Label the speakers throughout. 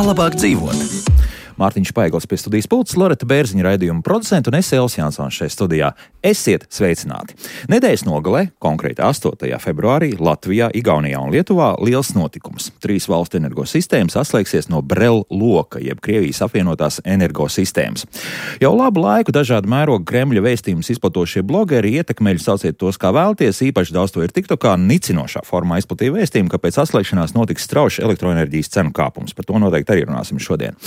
Speaker 1: Kā labāk dzīvot? Mārtiņš Paigls pie studijas pults, Loreta Bērziņa raidījuma producenta un es Elvis Jansons šeit studijā. Esiet sveicināti! Nedēļas nogalē, konkrēti 8. februārī, Latvijā, Igaunijā un Lietuvā liels notikums. 3 valstu energosistēmas atslēgsies no Brel loka, jeb Krievijas apvienotās energosistēmas. Jau labu laiku dažādu mērogu Kremļa vēstījumus izplatošie blogeri, ietekmeļi, sauciet tos kā vēlties, īpaši daudz to ir TikTokā, nicinošā formā izplatīja vēstījumu, ka pēc atslēgšanās notiks strauji elektroenerģijas cenu kāpums. Par to noteikti arī runāsim šodien.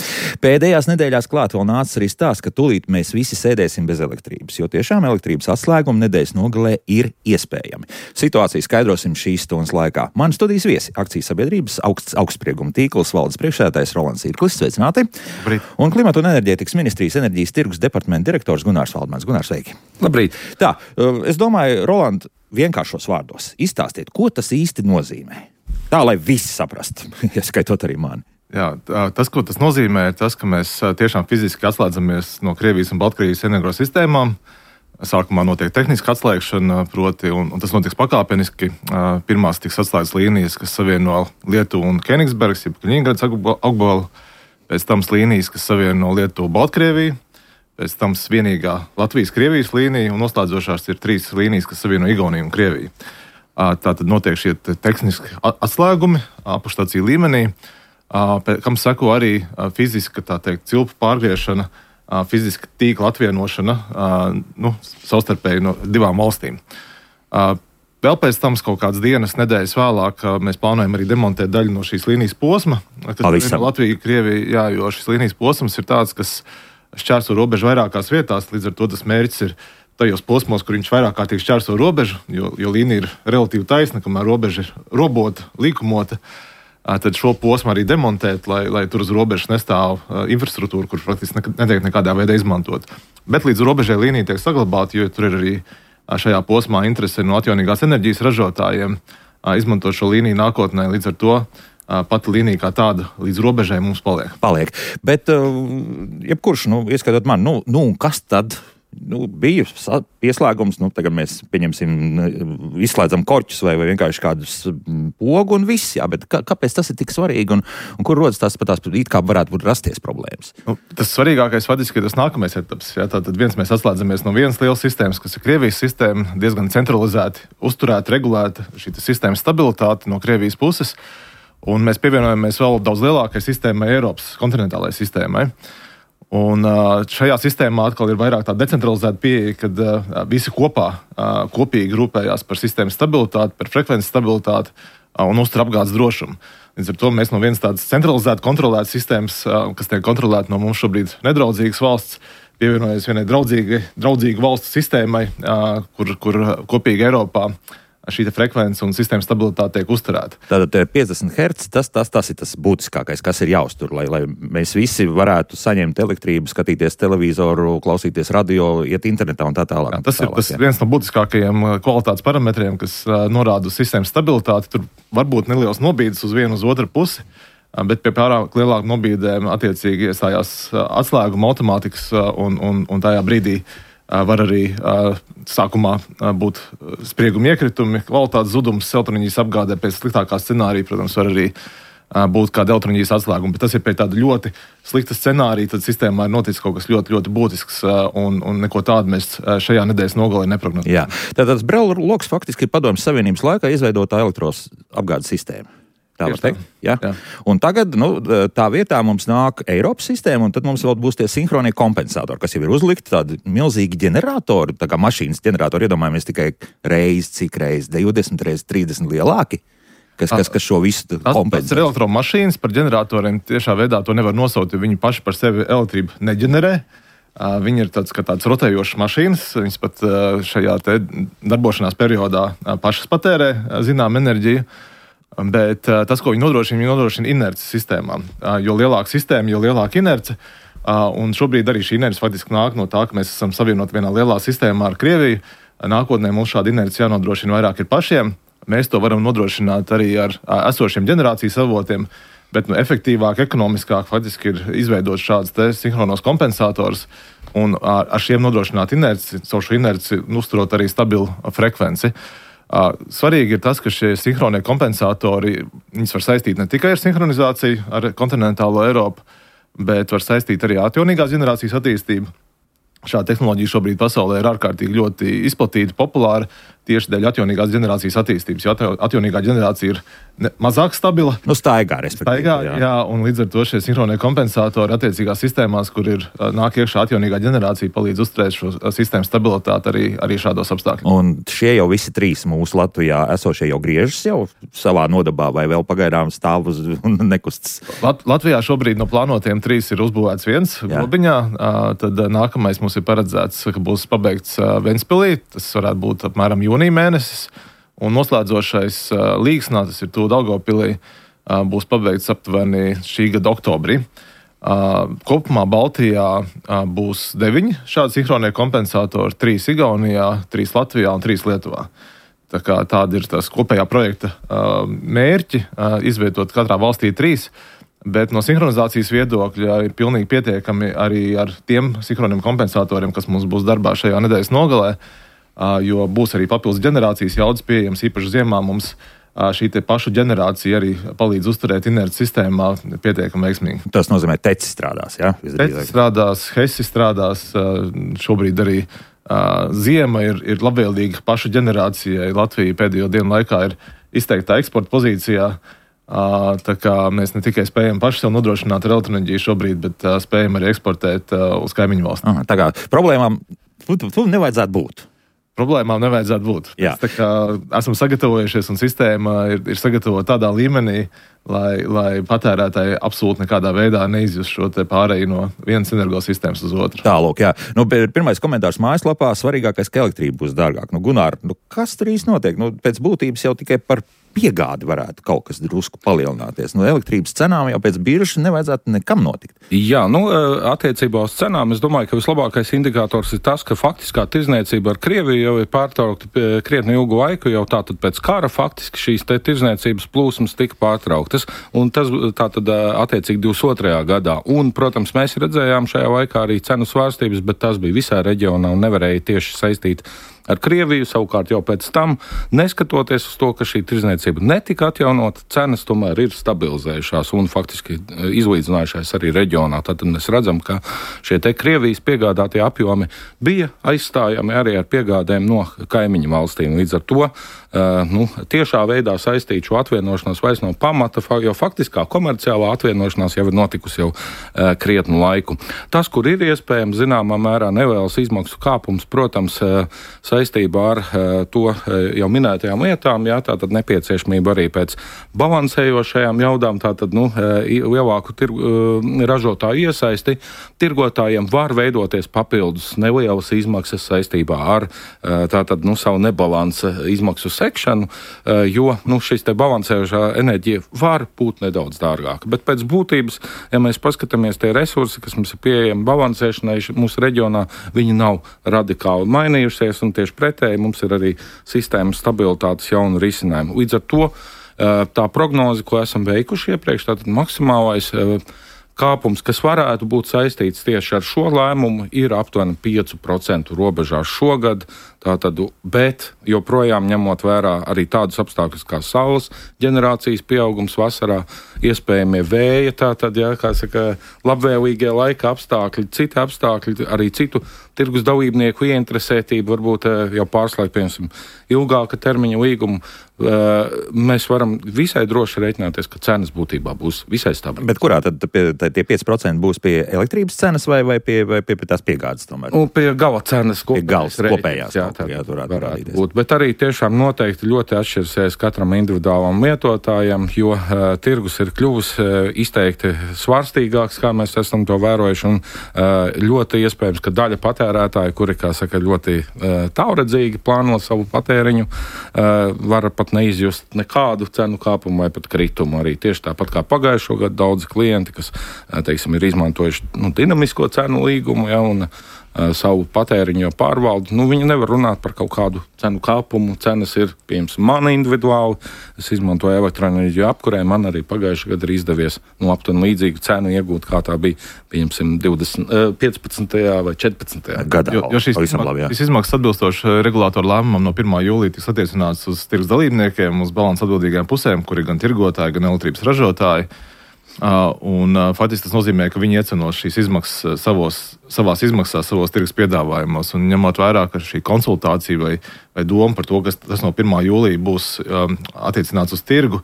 Speaker 1: Pēdējās nedēļās klāt vēl nāca arī stāsts, ka tūlīt mēs visi sēdēsim bez elektrības, jo tiešām elektrības atslēguma nedēļas nogalē ir iespējami. Situāciju skaidrosim šīs stundas laikā. Mani studijas viesi - akcijas sabiedrības augstsprieguma tīkls valdes priekšsēdētājs Rolands Irklis, sveicināti.
Speaker 2: Labrīt.
Speaker 1: Un Klimata un enerģētikas ministrijas enerģijas tirgus departamenta direktors Gunārs Valdmans. Gunārs, sveiki.
Speaker 2: Labrīt.
Speaker 1: Tā, es domāju, Roland, vienkāršos vārdos izstāstiet, ko tas īsti nozīmē. Tā, lai visi saprastu, ieskaitot arī mani.
Speaker 2: Jā, tas, ko tas nozīmē, ir tas, ka mēs tiešām fiziski atslēdzamies no Krievijas un Baltkrievijas energosistēmām. Sākumā notiek tehniska atslēgšana, proti, un tas notiks pakāpeniski. Pirmās tiks atslēgtas līnijas, kas savieno Lietuvu un Kenigsbergs, jeb Kaļiņgrads apgabalu, pēc tam līnijas, kas savieno Lietuvu un Baltkrieviju, pēc tam vienīgā Latvijas-Krievijas līnija, un noslēdzošās ir 3 līnijas, kas savieno Igauniju un Krieviju. Tātad notiek šie tehniski atslēgumi apakšstāciju līmenī, kam seko arī fiziska, tā teikt, cilpu pārgriešana, fiziska tīkla atvienošana, savstarpēji no 2 valstīm. Vēl pēc tam kaut kādas dienas, nedēļas vēlāk, mēs plānojam arī demontēt daļu no šīs līnijas posma, kas ir Latvija, Krievija, jā, jo šis līnijas posms ir tāds, kas šķērso robežu vairākās vietās, līdz ar to tas mērķis ir tajos posmos, kur viņš vairāk kārtīgi šķērso robežu, jo līnija ir relatīvi taisna, kamēr robeža ir robota, līkumota. Tad šo posmu arī demontēt, lai tur uz robežas nestāv infrastruktūra, kur praktiski netiek nekādā veidā izmantot. Bet līdz robežai līnija tiek saglabāta, jo tur ir arī šajā posmā interese no atjaunīgās enerģijas ražotājiem izmantot šo līniju nākotnē. Līdz ar to pati līnija kā tāda līdz robežai mums paliek.
Speaker 1: Bet, jebkurš, ieskatot man, kas tad? Bija pieslēgums, tagad mēs pieņemsim, izslēdzam korķus vai vienkārši kādus pogu un viss, jā, bet kāpēc tas ir tik svarīgi un kur rodas tās it kā varētu rasties problēmas?
Speaker 2: Tas svarīgākais faktiski ir tas nākamais etaps. Jā, tātad mēs atslēdzamies no vienas lielas sistēmas, kas ir Krievijas sistēma, diezgan centralizēti, uzturēta, regulēta šī sistēmas stabilitāte no Krievijas puses, un mēs pievienojamies vēl daudz lielākai sistēmai, Eiropas kontinentālajai sistēmai. Un šajā sistēmā atkal ir vairāk tā decentralizēta pieeja, kad visi kopīgi rūpējās par sistēmas stabilitāti, par frekvences stabilitāti un uztur apgādes drošumu. Līdz ar to mēs no vienas tādas centralizētas, kontrolētas sistēmas, kas tiek kontrolēta no mums šobrīd nedraudzīgas valsts, pievienojas vienai draudzīgu valstu sistēmai, kur kopīgi Eiropā šī frekvence un sistēmas stabilitāte tiek uzturēta.
Speaker 1: Tātad 50 Hz, tas ir tas būtiskākais, kas ir jāuztur, lai mēs visi varētu saņemt elektrību, skatīties televizoru, klausīties radio, iet internetā un tā tālāk.
Speaker 2: Tas ir viens no būtiskākajiem kvalitātes parametriem, kas norāda uz sistēmas stabilitāti. Tur var būt neliels nobīdes uz vienu uz otru pusi, bet pie pārāk lielāku nobīdēm attiecīgi iestājās atslēguma automātikas un tajā brīdī var arī sākumā būt sprieguma iekritumi, kvalitātes zudums, elektroenerģijas apgādē pēc sliktākā scenārija, protams, var arī būt kāda elektroenerģijas atslēguma, bet tas ir pēc tāda ļoti slikta scenārija, tad sistēmā ir noticis kaut kas ļoti, ļoti būtisks un neko tādu mēs šajā nedēļas nogalē neprognozējam.
Speaker 1: Jā, tātad Brel loks faktiski ir Padomju Savienības laikā izveidotā elektros apgādes sistēma. Tā var teikt? Jā. Un tagad tā vietā mums nāk Eiropas sistēma, un tad mums vēl būs tie sinhronie kompensatori, kas jau ir uzlikti tādi milzīgi ģeneratori, tā kā mašīnas ģeneratori, iedomājamies tikai cik reiz, 20 reiz, 30 lielāki, kas šo visu kompensē.
Speaker 2: Tas ir elektromašīnas, par ģeneratoriem tiešā veidā to nevar nosaukt, jo viņi paši par sevi elektrību neģenerē. Viņi ir tāds rotējošas mašīnas, viņas pat šajā te darbošanās periodā pašas patērē zinām enerģiju. Bet tas, ko viņi nodrošina inerces sistēmām. Jo lielāka sistēma, jo lielāka inerce. Un šobrīd arī šī inerce faktiski nāk no tā, ka mēs esam savienoti vienā lielā sistēmā ar Krieviju. Nākotnē mums šāda inerce jānodrošina vairāk ir pašiem. Mēs to varam nodrošināt arī ar esošiem ģenerācijas avotiem, bet efektīvāk, ekonomiskāk faktiski ir izveidot šādus sinhronos kompensatorus un ar šiem nodrošināt inerci, caur šo inerci uzturot arī stabilu frekvenci. Svarīgi ir tas, ka šie sinhronie kompensatori, viņus var saistīt ne tikai ar sinhronizāciju ar kontinentālo Eiropu, bet var saistīt arī atjaunīgās ģenerācijas attīstību. Šāda tehnoloģija šobrīd pasaulē ir ārkārtīgi ļoti izplatīta, populāra tieši dēļ atjaunīgās ģenerācijas attīstības. Jo atjaunīgā ģenerācija ir mazāk stabila.
Speaker 1: Staigā, respektīvi.
Speaker 2: Jā, un līdz ar to šie sinhronie kompensatori attiecīgās sistēmās, kur nāk iekšā atjaunīgā ģenerācija, palīdz uzturēt šo sistēmu stabilitāti arī šādos apstākļos.
Speaker 1: Un šie jau visi trīs mūsu Latvijā esošie jau griežas jau savā nodabā vai vēl pagaidām stāv uz un nekustas?
Speaker 2: Latvijā šobrīd no plānotiem 3 ir uzbūvēts viens Globiņā. Tad nākamais mums ir paredzēts, ka būs pabeigts Ventspilī. Tas varētu būt apmēram jūnija mēnesis. Un noslēdzošais Līgsnā, tas ir tuvu Daugavpilī, būs pabeigts aptuveni šī gada oktobrī. Kopumā Baltijā būs 9 šādi sinhronie kompensatori, 3 Igaunijā, 3 Latvijā un 3 Lietuvā. Tāda ir tās kopējā projekta mērķi, izvietot katrā valstī 3. Bet no sinhronizācijas viedokļa ir pilnīgi pietiekami arī ar tiem sinhroniem kompensatoriem, kas mums būs darbā šajā nedēļas nogalē, jo būs arī papildus ģenerācijas jaudas pieejams. Īpaši ziemā mums šī te pašu ģenerācija arī palīdz uzturēt inerci sistēmā pietiekami veiksmīgi.
Speaker 1: Tas nozīmē, teci strādās, jā?
Speaker 2: Teci strādās, hesi strādās, šobrīd arī ziema ir labvēlīga pašu ģenerācijai. Latvija pēdējo dienu laikā ir izteiktā eksporta pozīcijā. Tā kā mēs ne tikai spējam paši sev nodrošināt ar elektroenerģiju šobrīd, bet spējam arī eksportēt uz kaimiņu valstīm.
Speaker 1: Tā kā problēmām tu nevajadzētu būt.
Speaker 2: Problēmām nevajadzētu būt. Esam sagatavojušies un sistēma ir sagatavota tādā līmenī, lai patērētāji absolūti nekādā veidā neizjust šo te pāreju no vienas energosistēmas uz otru.
Speaker 1: Tālūk, jā. Pirmais komentārs mājaslapā: svarīgākais, ka elektrība būs dārgāk. Gunār, kas tur īsti notiek? Pēc būtības jau tikai par piegādi varētu kaut kas drusku palielināties. Elektrības cenām jau pēc biržas nevajadzētu nekam notikt.
Speaker 3: Jā, attiecībā uz cenām es domāju, ka vislabākais indikators ir tas, ka faktiskā tirzniecība ar Krieviju jau ir pārtraukta krietni ilgu laiku, jau tātad pēc kara faktiski šīs te tirzniecības plūsmas tika pārtrauktas, un tas tātad attiecīgi 22. gadā. Un, protams, mēs redzējām šajā laikā arī cenu svārstības, bet tas bija visā reģionā un nevarēja tieši saistīt ar Krieviju. Savukārt jau pēc tam, neskatoties uz to, ka šī tirzniecība netika atjaunota, cenas tomēr ir stabilizējušās un faktiski izlīdzinājušās arī reģionā. Tad mēs redzam, ka šie te Krievijas piegādātie apjomi bija aizstājami arī ar piegādēm no kaimiņu valstīm. Līdz ar to tiešā veidā saistīt šo atvienošanos vairs no pamata, jo faktiskā komerciālā atvienošanās jau ir notikusi jau krietnu laiku. Tas, kur ir iespējams zināmā mērā nelielas izmaksu kāpums, protams, saistībā ar to jau minētajām lietām, jā, tātad nepieciešamība arī pēc balansējošajām jaudām, tātad lielāku ražotāju iesaisti. Tirgotājiem var veidoties papildus nelielas izmaksas saistībā ar tātad savu nebalansa izmaksu sekšanu, jo šis te balansējošā enerģija var būt nedaudz dārgāka. Bet pēc būtības, ja mēs paskatāmies tie resursi, kas mums ir pieejami balansēšanai mūsu reģionā, viņi nav radikāli mainījušies, un tieši pretēji mums ir arī sistēmas stabilitātes jaunu risinājumu. Līdz ar to tā prognoze, ko esam veikuši iepriekš, tātad maksimālais kāpums, kas varētu būt saistīts tieši ar šo lēmumu, ir aptuveni 5% robežās šogad. Tātad, bet joprojām ņemot vērā arī tādus apstākļus kā saules ģenerācijas pieaugums vasarā, iespējamie vēja, tātad, labvēlīgie laika apstākļi, citi apstākļi, arī citu tirgus dalībnieku ieinteresētību, varbūt jau pārslēgt, piemēram, ilgāka termiņa līgumu, mēs varam visai droši reiķināties, ka cenas būtībā būs visai stabili.
Speaker 1: Bet kurā tad tie 5% būs pie elektrības cenas vai pie tās piegādes tomēr?
Speaker 3: Pie gala cenas
Speaker 1: kopējās.
Speaker 3: Jā, varētu būt. Bet arī tiešām noteikti ļoti atšķirsies katram individuālam lietotājam, jo tirgus ir kļuvis izteikti svārstīgāks, kā mēs esam to vērojuši, un ļoti iespējams, ka daļa patērētāji, kuri, ļoti tālredzīgi plāno savu patēriņu, var pat neizjust nekādu cenu kāpumu vai pat kritumu. Arī tieši tāpat kā pagājušo gadu daudzi klienti, kas, ir izmantojuši dinamisko cenu līgumu, un savu patēriņu pārvaldu. Viņi nevar runāt par kaut kādu cenu kāpumu. Cenas ir, piemēram, man individuāli. Es izmantoju elektroenerģiju apkurē. Man arī pagājušajā gadā ir izdevies aptuveni līdzīgu cenu iegūt, kā tā bija, piemēram, 15. vai 14.
Speaker 1: gadā.
Speaker 2: Jo šīs izmaksas atbilstoši regulātoru lēmumam no 1. jūlija tiks attiecināts uz tirgus dalībniekiem, uz balansu atbildīgajām pusēm, kuri gan tirgotāji, gan elektrības ražotāji. Faktiski tas nozīmē, ka viņi iecenos šīs izmaksas savās izmaksās, savos tirgus piedāvājumos. Un ņemot vērā, ka šī konsultācija vai doma par to, kas tas no 1. jūlija būs attiecināts uz tirgu,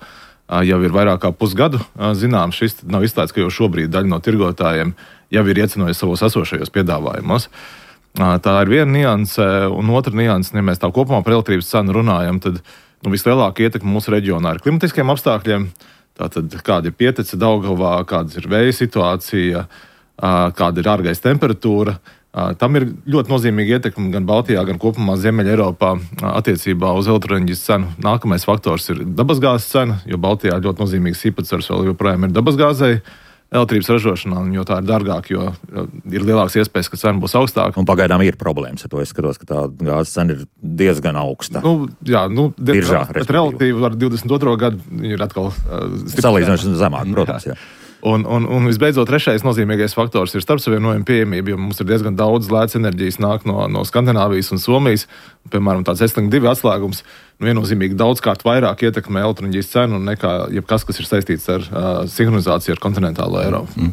Speaker 2: jau ir vairāk kā pusgadu zināms. Šis nav izslēgts, ka jau šobrīd daļa no tirgotājiem jau ir iecenojusi savos esošajos piedāvājumos. Tā ir viena nianse, un otra nianse, ja mēs tā kopumā par elektrības cenu runājam, tad vislielākā ietekme mūsu reģionā ir klimatiskiem apstākļiem. Tātad, kāda ir pietece Daugavā, kāda ir vēja situācija, kāda ir ārgaisa temperatūra. Tam ir ļoti nozīmīga ietekme gan Baltijā, gan kopumā Ziemeļa Eiropā attiecībā uz elektroenerģijas cenu. Nākamais faktors ir dabasgāzes cena, jo Baltijā ļoti nozīmīgs īpatsvars vēl joprojām ir dabasgāzei elektrības ražošanā, jo tā ir dārgāk, jo ir lielāks iespējas, ka cena būs augstāka.
Speaker 1: Un pagaidām ir problēmas ar to. Es skatos, ka tā gāzes cena ir diezgan augsta.
Speaker 2: Biržā, bet relatīvi ar 22. gadu ir atkal
Speaker 1: salīdzinoši zemāk, protams, jā.
Speaker 2: Un visbeidzot, trešais nozīmīgais faktors ir starpsavienojuma pieejamība, jo mums ir diezgan daudz lētas enerģijas nāk no Skandināvijas un Somijas. Piemēram, tāds Estlink 2 atslēgums viennozīmīgi daudzkārt vairāk ietekmē elektroenerģijas cenu nekā jebkas, kas ir saistīts ar sinhronizāciju ar kontinentālo Eiropu.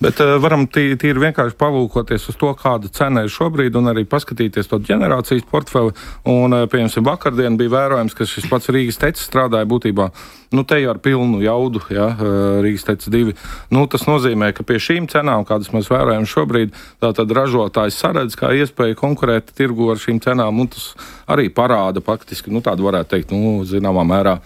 Speaker 3: Bet varam tīri vienkārši palūkoties uz to, kāda cena ir šobrīd, un arī paskatīties to ģenerācijas portfeli. Un, piemēram, vakardien bija vērojams, ka šis pats Rīgas tecis strādāja būtībā te jau ar pilnu jaudu, Rīgas tecis 2. Tas nozīmē, ka pie šīm cenām, kādas mēs vērojam šobrīd, tātad ražotājs saredz, kā iespēja konkurēt tirgu ar šīm cenām, un tas arī parāda faktiski, tādu varētu teikt, zināmā mērā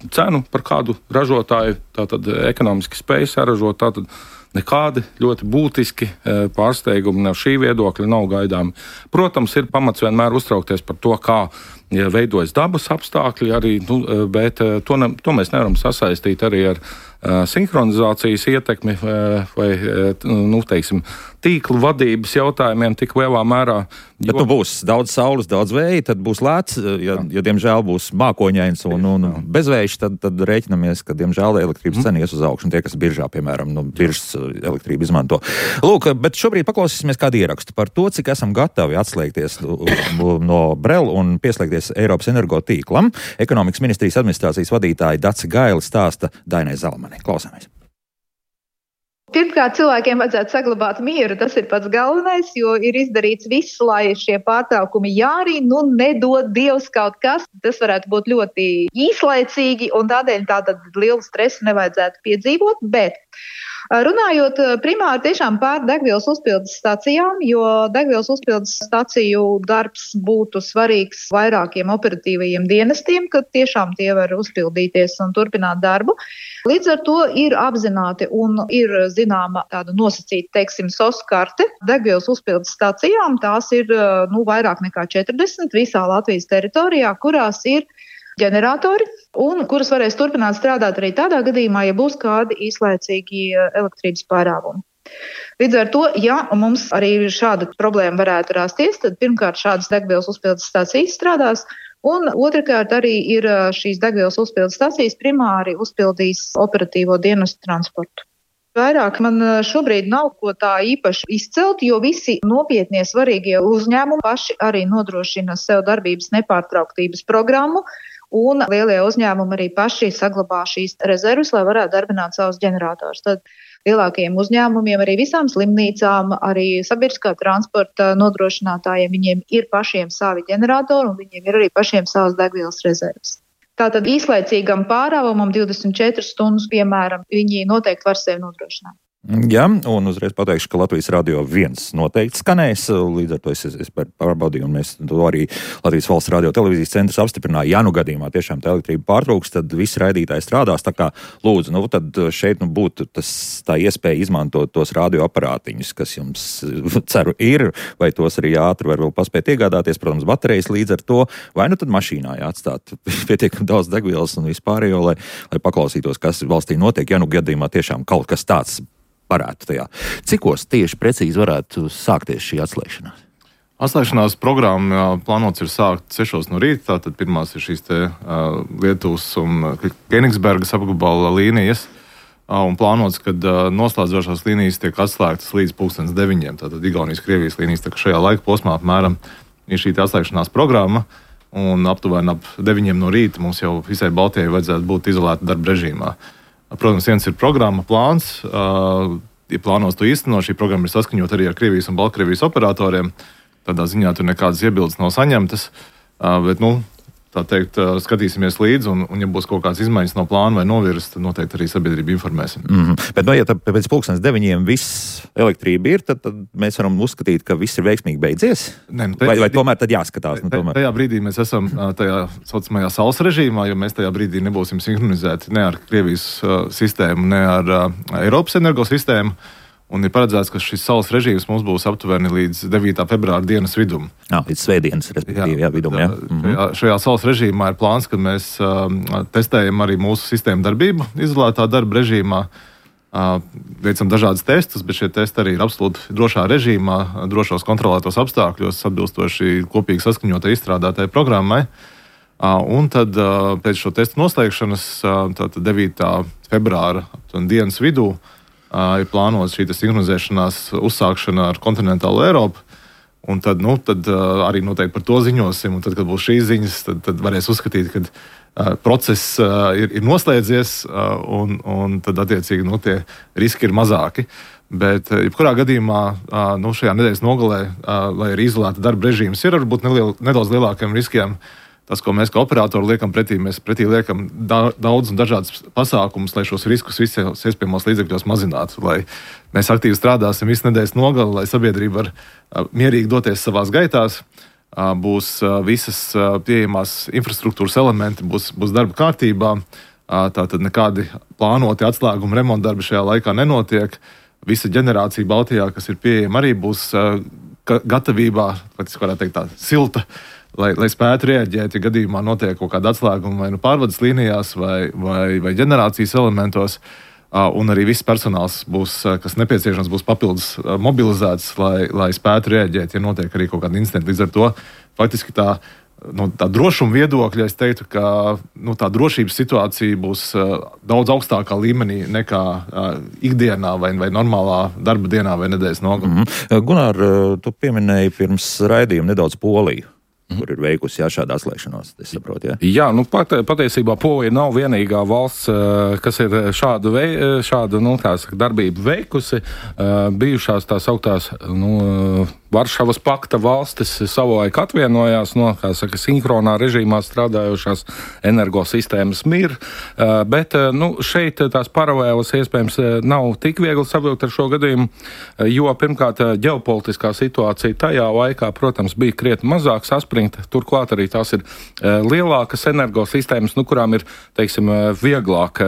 Speaker 3: cenu, par kādu ražotāju tātad ekonomiski spēj saražot, tātad nekādi ļoti būtiski pārsteigumi no šī viedokļa nav gaidāmi. Protams, ir pamats vienmēr uztraukties par to, kā veidojas dabas apstākļi, arī, bet to mēs nevaram sasaistīt arī ar sinhronizācijas ietekmi vai teiksim, tīklu vadības jautājumiem tik lielā mērā.
Speaker 1: Bet būs daudz saules, daudz vēja, tad būs lēts, ja diemžēl būs mākoņains un bezvējš, tad rēķinamies, ka diemžēl elektrības cena ies uz augšu, un tie, kas biržā, piemēram, biržas elektrību izmanto. Lūk, bet šobrīd paklausīsimies kādu ierakstu par to, cik esam gatavi atslēgties no Brel un pieslēgties Eiropas energotīklam. Ekonomikas ministrijas administrācijas vadītāja Dace Gaile stāsta Dainai Zalmanei. Klausāmies.
Speaker 4: Pirmkārt, cilvēkiem vajadzētu saglabāt mieru, tas ir pats galvenais, jo ir izdarīts viss, lai šie pārtraukumi nedod Dievs kaut kas. Tas varētu būt ļoti īslaicīgi, un tādēļ tātad lielu stresu nevajadzētu piedzīvot, bet runājot primāri tiešām par degvielas uzpildes stacijām, jo degvielas uzpildes staciju darbs būtu svarīgs vairākiem operatīvajiem dienestiem, kad tiešām tie var uzpildīties un turpināt darbu. Līdz ar to ir apzināti un ir zināma tāda nosacīta, teiksim, SOS karte degvielas uzpildes stacijām. Tās ir vairāk nekā 40 visā Latvijas teritorijā, kurās ir ģeneratori un kuras varēs turpināt strādāt arī tādā gadījumā, ja būs kādi īslaicīgi elektrības pārāvumi. Līdz ar to, ja mums arī šāda problēma varētu rasties, tad pirmkārt šādas degvielas uzpildes stācijas strādās, un otrkārt arī ir šīs degvielas uzpildes stācijas primāri uzpildīs operatīvo dienestu transportu. Vairāk man šobrīd nav ko tā īpaši izcelt, jo visi nopietnie svarīgie uzņēmumi paši arī nodrošina sev darbības nepārtrauktības programmu, un lielie uzņēmumi arī paši saglabā šīs rezerves, lai varētu darbināt savus ģenerators. Tad lielākajiem uzņēmumiem, arī visām slimnīcām, arī sabiedriskā transporta nodrošinātājiem, viņiem ir pašiem savi ģeneratori un viņiem ir arī pašiem savas degvielas rezerves. Tātad īslaicīgam pārāvumam 24 stundas, piemēram, viņi noteikti var sevi nodrošināt.
Speaker 1: Jā, un uzreiz pateikšu, ka Latvijas radio 1 noteikti skanēs, līdz ar to es pārbaudīju, un mēs to arī Latvijas valsts radio televīzijas centrs apstiprināja. Ja gadījumā tiešām tā elektrība pārtrūks, tad visi raidītāji strādās, tā kā lūdzu, tad šeit būtu tā iespēja izmantot tos radioaparātiņus, kas jums, ceru, ir, vai tos arī ātri var vēl paspēt iegādāties, protams, baterijas līdz ar to, vai tad mašīnā jāatstāt pietiekami daudz degvielas un vispārējo, lai paklausītos, kas valstī notiek, ja gadījumā tiešām kaut kas tāds varētu tajā. Cikos tieši precīzi varētu sākties šī atslēgšanās?
Speaker 2: Atslēgšanās programma plānots ir sākt 6 no rīta, tātad pirmās ir šīs Lietuvas un Kenigsbergas apgabala līnijas, un plānots, kad noslēdzošās līnijas tiek atslēgtas līdz 9:00, tātad Igaunijas, Krievijas līnijas, tā ka šajā laika posmā apmēram ir šī atslēgšanās programma, un aptuveni ap 9:00 no rīta mums jau visai Baltijai vajadzētu būt izolēta darba režīmā. Protams, viens ir programma plāns, ja plānos to īstenot, šī programma ir saskaņot arī ar Krievijas un Baltkrievijas operatoriem. Tādā ziņā tur nekādas iebildes nav saņemtas, bet, tā teikt, skatīsimies līdzi, un ja būs kaut kādas izmaiņas no plāna vai novirzes, tad noteikti arī sabiedrību informēsim.
Speaker 1: Bet, ja pēc 9:00 viss elektrība ir, tad mēs varam uzskatīt, ka viss ir veiksmīgi beidzies? Vai tomēr tad jāskatās?
Speaker 2: Tajā brīdī mēs esam tajā saucamajā saules režīmā, jo mēs tajā brīdī nebūsim sinhronizēti ne ar Krievijas sistēmu, ne ar Eiropas energosistēmu. Un ir paredzēts, ka šis saules režīms mums būs aptuveni līdz 9. februāra dienas vidum.
Speaker 1: Līdz svētdienas, respektīvi, vidum.
Speaker 2: Šajā saules režīmā ir plāns, ka mēs testējam arī mūsu sistēmu darbību izolētā darba režīmā. Veicam dažādas testus, bet šie testi arī ir absolūti drošā režīmā, drošos kontrolētos apstākļos, atbilstoši kopīgi saskaņotai izstrādātai programmai. Un tad pēc šo testu noslēgšanas, tātad 9. februāra dienas vidū, ir plānots šī sinhronizēšanās uzsākšana ar kontinentālo Eiropu. Un tad arī noteikti par to ziņosim. Un tad, kad būs šīs ziņas, tad varēs uzskatīt, ka process ir noslēdzies un tad attiecīgi tie riski ir mazāki. Bet, jebkurā gadījumā, šajā nedēļas nogalē, lai arī izolēta darba režīms ir varbūt nedaudz lielākiem riskiem, tas, ko mēs kā operatori liekam pretī, mēs pretī liekam daudz un dažādas pasākumus, lai šos riskus visos iespējamos līdzekļos mazinātu, lai mēs aktīvi strādāsim visu nedēļas nogali, lai sabiedrība var mierīgi doties savās gaitās, būs visas pieejamās infrastruktūras elementi, būs darba kārtībā, tātad nekādi plānoti atslēguma remonta darbi šajā laikā nenotiek. Visa ģenerācija Baltijā, kas ir pieejama, arī būs gatavībā, faktiski varētu teikt tā, silta, lai spētu reaģēt, ja gadījumā notiek kaut kāda atslēguma vai pārvades līnijās vai ģenerācijas elementos, un arī viss personāls būs, kas nepieciešams, būs papildus mobilizēts, lai spētu reaģēt, ja notiek arī kaut kāda incidenta. Līdz ar to faktiski tā drošuma viedokļa, es teiktu, ka tā drošības situācija būs daudz augstākā līmenī nekā ikdienā vai normālā darba dienā vai nedēļas nogalē.
Speaker 1: Gunār, tu pieminēji pirms raidījuma nedaudz Poliju, kur ir veikusi šādu atslēgšanos, es saprotu,
Speaker 3: Jā, patiesībā Polija nav vienīgā valsts, kas ir šādu darbību veikusi. Bijušās tās augtās, Varšavas pakta valstis savulaik atvienojās no, sinhronā režīmā strādājošās energosistēmas MIR, bet šeit tās paralēlas iespējams nav tik viegli savilkt ar šo gadījumu, jo pirmkārt ģeopolitiskā situācija tajā laikā, protams, bija krietni mazāk saspringta, turklāt arī tās ir lielākas energosistēmas, kurām ir, teiksim, vieglāk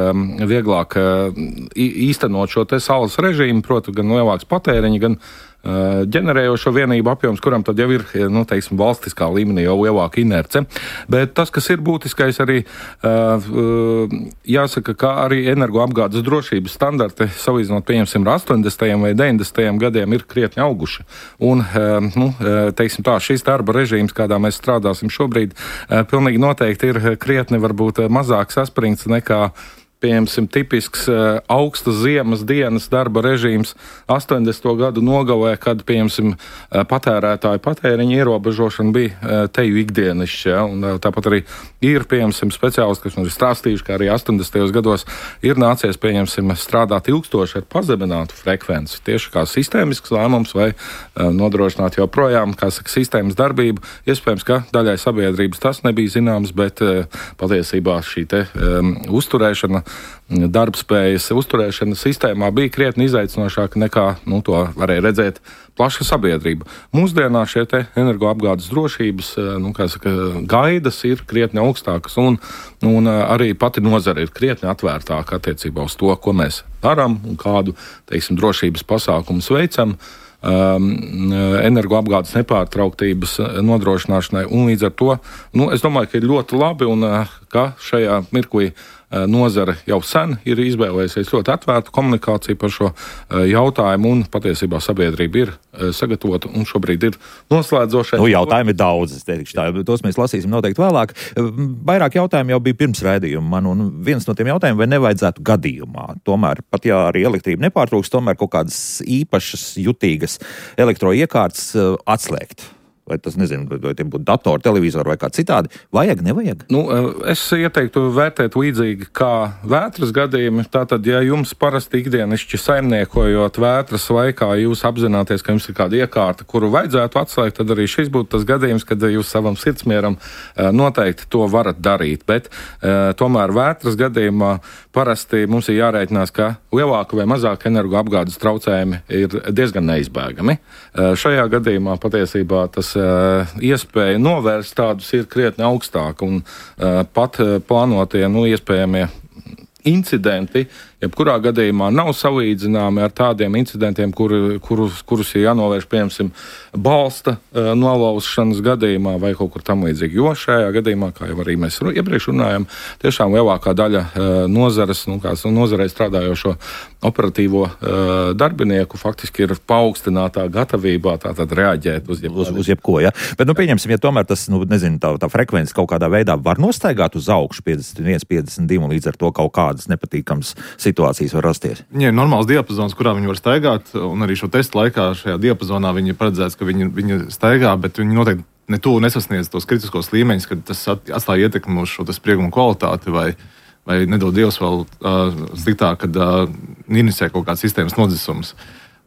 Speaker 3: īstenot šo te saules režīmu, proti gan lielāks patēriņi, gan ģenerējošo vienību apjoms, kuram tad jau ir, valstiskā līmenī jau lielāka inerce. Bet tas, kas ir būtiskais arī, jāsaka, ka arī energoapgādes drošības standarti, salīdzinot, pieņemsim, ar 80. vai 90. gadiem, ir krietni auguši. Un, šis darba režīms, kādā mēs strādāsim šobrīd, pilnīgi noteikti ir krietni varbūt mazāk saspringts nekā pieņemsim, tipisks augstas ziemas dienas darba režīms 80. gadu nogalē, kad, pieņemsim, patērētāju patēriņa ierobežošana bija teju ikdienišķi. Un tāpat arī ir, pieņemsim, speciālisti, kas mums ir stāstījuši, ka arī 80. gados ir nācies, pieņemsim, strādāt ilgstoši ar pazeminātu frekvenci. Tieši kā sistēmisks lēmums vai nodrošināt joprojām, sistēmas darbību. Iespējams, ka daļai sabiedrības tas nebija zināms, bet patiesībā šī te uzturēšana, darbspējas uzturēšana sistēmā bija krietni izaicinošāka nekā to varēja redzēt plaša sabiedrība. Mūsdienās šie te energoapgādes drošības gaidas ir krietni augstākas un arī pati nozare ir krietni atvērtāka attiecībā uz to, ko mēs darām un kādu, teiksim, drošības pasākumus veicam. Energoapgādes nepārtrauktības nodrošināšanai, un līdz ar to, es domāju, ka ir ļoti labi un ka šajā mirklī nozare jau sen ir izvēlējusies ļoti atvērtu komunikāciju par šo jautājumu, un patiesībā sabiedrība ir sagatavota un šobrīd ir noslēdzošais.
Speaker 1: Jautājumi ir daudz, es teikšu tā, tos mēs lasīsim noteikti vēlāk. Vairāk jautājumu jau bija pirms raidījuma man, un viens no tiem jautājumiem, vai nevajadzētu gadījumā. Tomēr, pat ja arī elektrība nepārtrūks, tomēr kaut kādas īpašas, jutīgas elektroiekārtas atslēgt. Vai tas, nezinu, vai tie būtu datori, televizori vai kā citādi. Vajag, nevajag?
Speaker 3: Es ieteiktu vērtēt līdzīgi kā vētras gadījumi. Tātad, ja jums parasti ikdienišķi saimniekojot vētras laikā, jūs apzināties, ka jums ir kāda iekārta, kuru vajadzētu atslēgt, tad arī šis būtu tas gadījums, kad jūs savam sirdsmieram noteikti to varat darīt. Bet tomēr vētras gadījumā parasti mums ir jārēķinās, ka lielāka vai mazāka energoapgādes traucējumi ir diezgan neizbēgami. Šajā gadījumā patiesībā tas iespēja novērst tādus ir krietni augstāk, un pat plānotie, iespējamie incidenti, jebkurā gadījumā nav salīdzināmi ar tādiem incidentiem, kurus ir jānovērš, piemēram, balsta nolauzšanas gadījumā vai kaut kur tam līdzīgi. Jo šajā gadījumā, kā jau arī mēs iepriekš runājam, tiešām lielākā daļa nozares, nozarei strādājošo operatīvo darbinieku faktiski ir paaugstinātā gatavībā tātad reaģēt uz
Speaker 1: jebko. Ja? Bet, pieņemsim, ja tomēr tas, tā frekvence kaut kādā veidā var nostaigāt uz augšu 51, 52, un līdz ar to kaut kādas nepatīkamas situācijas var rasties.
Speaker 2: Ja ir normāls diapazons, kurā viņi var staigāt, un arī šo testu laikā šajā diapazonā viņi paredzēts, ka viņi staigā, bet viņi noteikti netuvu nesasniedz tos kritiskos līmeņus, kad tas atstāja ietekmi uz šo spriegumu kvalitāti vai nedod Dievs vēl sliktāk, kad inicē kaut kāds sistēmas nodzisums.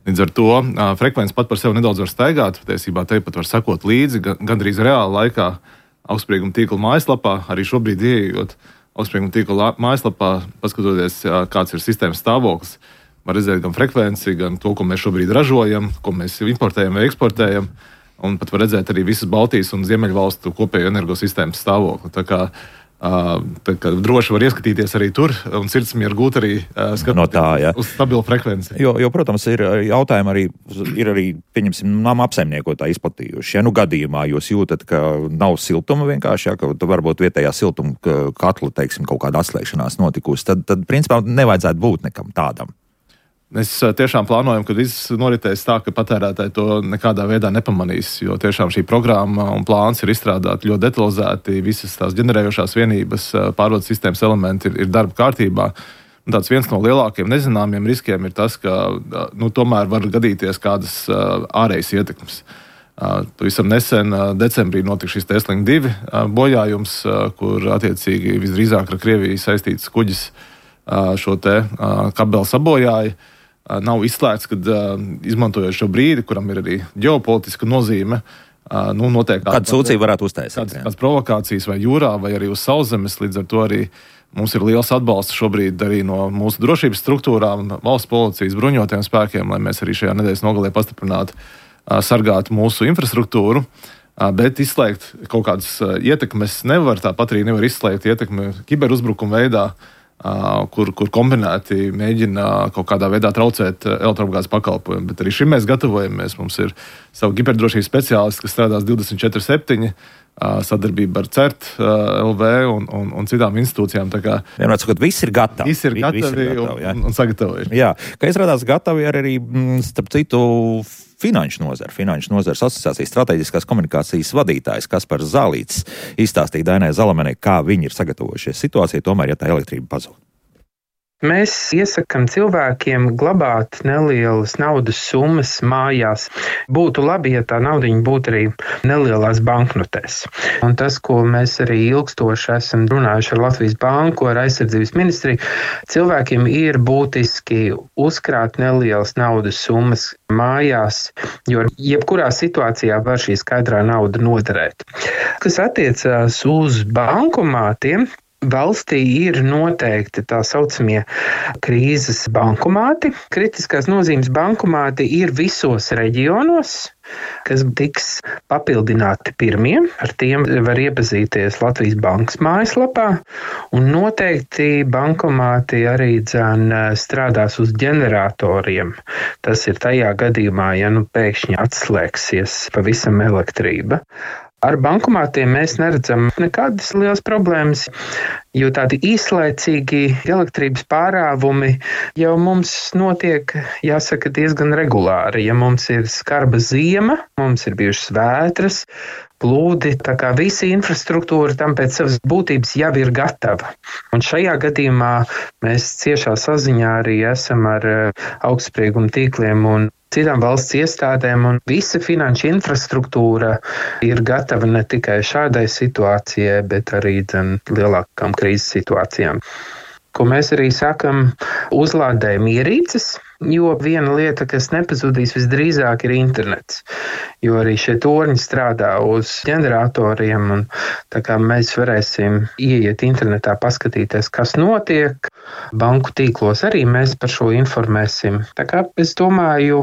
Speaker 2: Līdz ar to frekvence pat par sevi nedaudz var staigāt, patiesībā te pat var sekot līdzi, gandrīz reāla laikā augstsprieguma tīkla mājaslapā, arī šobrīd ieejot augstsprieguma tīkla mājaslapā, paskatoties, kāds ir sistēmas stāvoklis, var redzēt gan frekvenci, gan to, ko mēs šobrīd ražojam, ko mēs importējam vai eksportējam, un pat var redzēt arī visas Baltijas un Ziemeļvalstu kopējo energosistēmas stāvokli. Tā kā droši var ieskatīties arī tur un sirdsmieru gūt arī skatoties uz stabilu frekvenci.
Speaker 1: Jo, protams, ir jautājumi arī, pieņemsim, nama apsaimniekotāji izplatījuši. Ja gadījumā jūs jūtat, ka nav siltuma vienkārši, ka varbūt vietējā siltuma katla, teiksim, kaut kāda atslēgšanās notikusi, tad principā nevajadzētu būt nekam tādam.
Speaker 2: Mēs tiešām plānojam, ka viss noritēs tā, ka patērētāji to nekādā veidā nepamanīs, jo tiešām šī programma un plāns ir izstrādāti ļoti detalizēti, visas tās ģenerējošās vienības, pārvades sistēmas elementi ir darba kārtībā. Un tāds viens no lielākiem nezināmiem riskiem ir tas, ka tomēr var gadīties kādas ārējas ietekmes. Pavisam nesen, decembrī, notika šis Estlink 2 bojājums, kur attiecīgi visdrīzāk ar Krieviju saistīts kuģis šo te kabeli sabojāja. Nav izslēgts, ka izmantojot šo brīdi, kuram ir arī ģeopolitiska nozīme, notiek
Speaker 1: kāda sūdzība varētu uztaisīt.
Speaker 2: Kādas provokācijas vai jūrā, vai arī uz sauszemes, līdz ar to arī mums ir liels atbalsts šobrīd arī no mūsu drošības struktūrām, valsts policijas bruņotajiem spēkiem, lai mēs arī šajā nedēļas nogalē pastiprinātu, sargātu mūsu infrastruktūru, bet izslēgt kaut kādas ietekmes nevar, tāpat arī nevar izslēgt ietekmi kiberuzbrukuma veidā, kur kombinēti mēģina kaut kādā veidā traucēt elektroapgādes pakalpojumu. Bet arī šim mēs gatavojamies. Mums ir savu kiberdrošības speciālisti, kas strādās 24/7, sadarbība ar CERT, LV un citām institūcijām.
Speaker 1: Vienmēr sakot, viss ir gatavi.
Speaker 2: Viss ir gatavi un sagatavojuši.
Speaker 1: Jā, ka izrādās gatavi arī, starp citu, Finanšu nozares asociācijas strateģiskās komunikācijas vadītājs Kaspars Zālītis izstāstīja Dainai Zalamanai, kā viņi ir sagatavojušies situācijai, tomēr, ja tā elektrība pazūd.
Speaker 5: Mēs iesakām cilvēkiem glabāt nelielas naudas summas mājās. Būtu labi, ja tā naudiņa būtu arī nelielās banknotēs. Un tas, ko mēs arī ilgstoši esam runājuši ar Latvijas Banku, ar aizsardzības ministriju, cilvēkiem ir būtiski uzkrāt nelielas naudas summas mājās, jo jebkurā situācijā var šī skaidrā nauda noderēt. Kas attiecās uz bankomātiem, valstī ir noteikti tā saucamie krīzes bankomāti. Kritiskās nozīmes bankomāti ir visos reģionos, kas tiks papildināti pirmie. Ar tiem var iepazīties Latvijas Bankas mājaslapā. Un noteikti bankomāti arī strādās uz ģeneratoriem. Tas ir tajā gadījumā, ja pēkšņi atslēgsies pavisam elektrība. Ar bankomātiem mēs neredzam nekādas lielas problēmas, jo tādi īslaicīgi elektrības pārāvumi jau mums notiek, jāsaka, diezgan regulāri. Ja mums ir skarba ziema, mums ir bijušas vētras, plūdi, tā kā visa infrastruktūra tam pēc savas būtības jau ir gatava. Un šajā gadījumā mēs ciešā saziņā arī esam ar augstsprieguma tīkliem un citām valsts iestādēm, un visa finanšu infrastruktūra ir gatava ne tikai šādai situācijai, bet arī lielākām krīzes situācijām. Ko mēs arī sakam, uzlādējam ierīces, jo viena lieta, kas nepazudīs visdrīzāk, ir internets. Jo arī šie torņi strādā uz ģeneratoriem, un tā kā mēs varēsim ieiet internetā, paskatīties, kas notiek. Banku tīklos arī mēs par šo informēsim. Tā kā es domāju,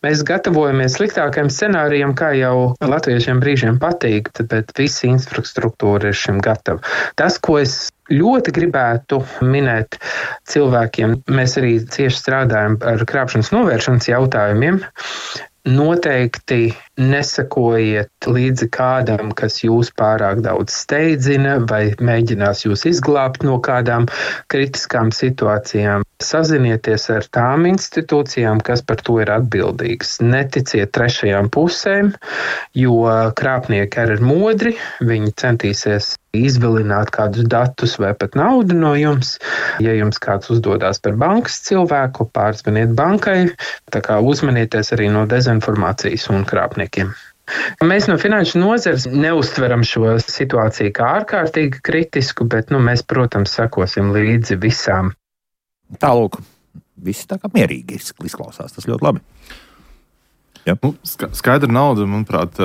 Speaker 5: mēs gatavojamies sliktākajam scenārijam, kā jau latviešiem brīžiem patīk, bet visa infrastruktūra ir šim gatava. Tas, ko es ļoti gribētu minēt cilvēkiem, mēs arī cieši strādājam ar krāpšanas novēršanas jautājumiem. Noteikti nesakojiet līdzi kādam, kas jūs pārāk daudz steidzina vai mēģinās jūs izglābt no kādām kritiskām situācijām. Sazinieties ar tām institūcijām, kas par to ir atbildīgas. Neticiet trešajām pusēm, jo krāpnieki arī ir modri, viņi centīsies izvilināt kādus datus vai pat naudu no jums. Ja jums kāds uzdodās par bankas cilvēku, pārzvaniet bankai, tā kā uzmanieties arī no dezinformācijas un krāpniekiem. Mēs no finanšu nozares neuztveram šo situāciju kā ārkārtīgi kritisku, bet mēs, protams, sekosim līdzi visām.
Speaker 1: Tālūk, visi tā kā mierīgi izklausās, tas ļoti labi. Ja.
Speaker 2: Skaidra nauda, manuprāt,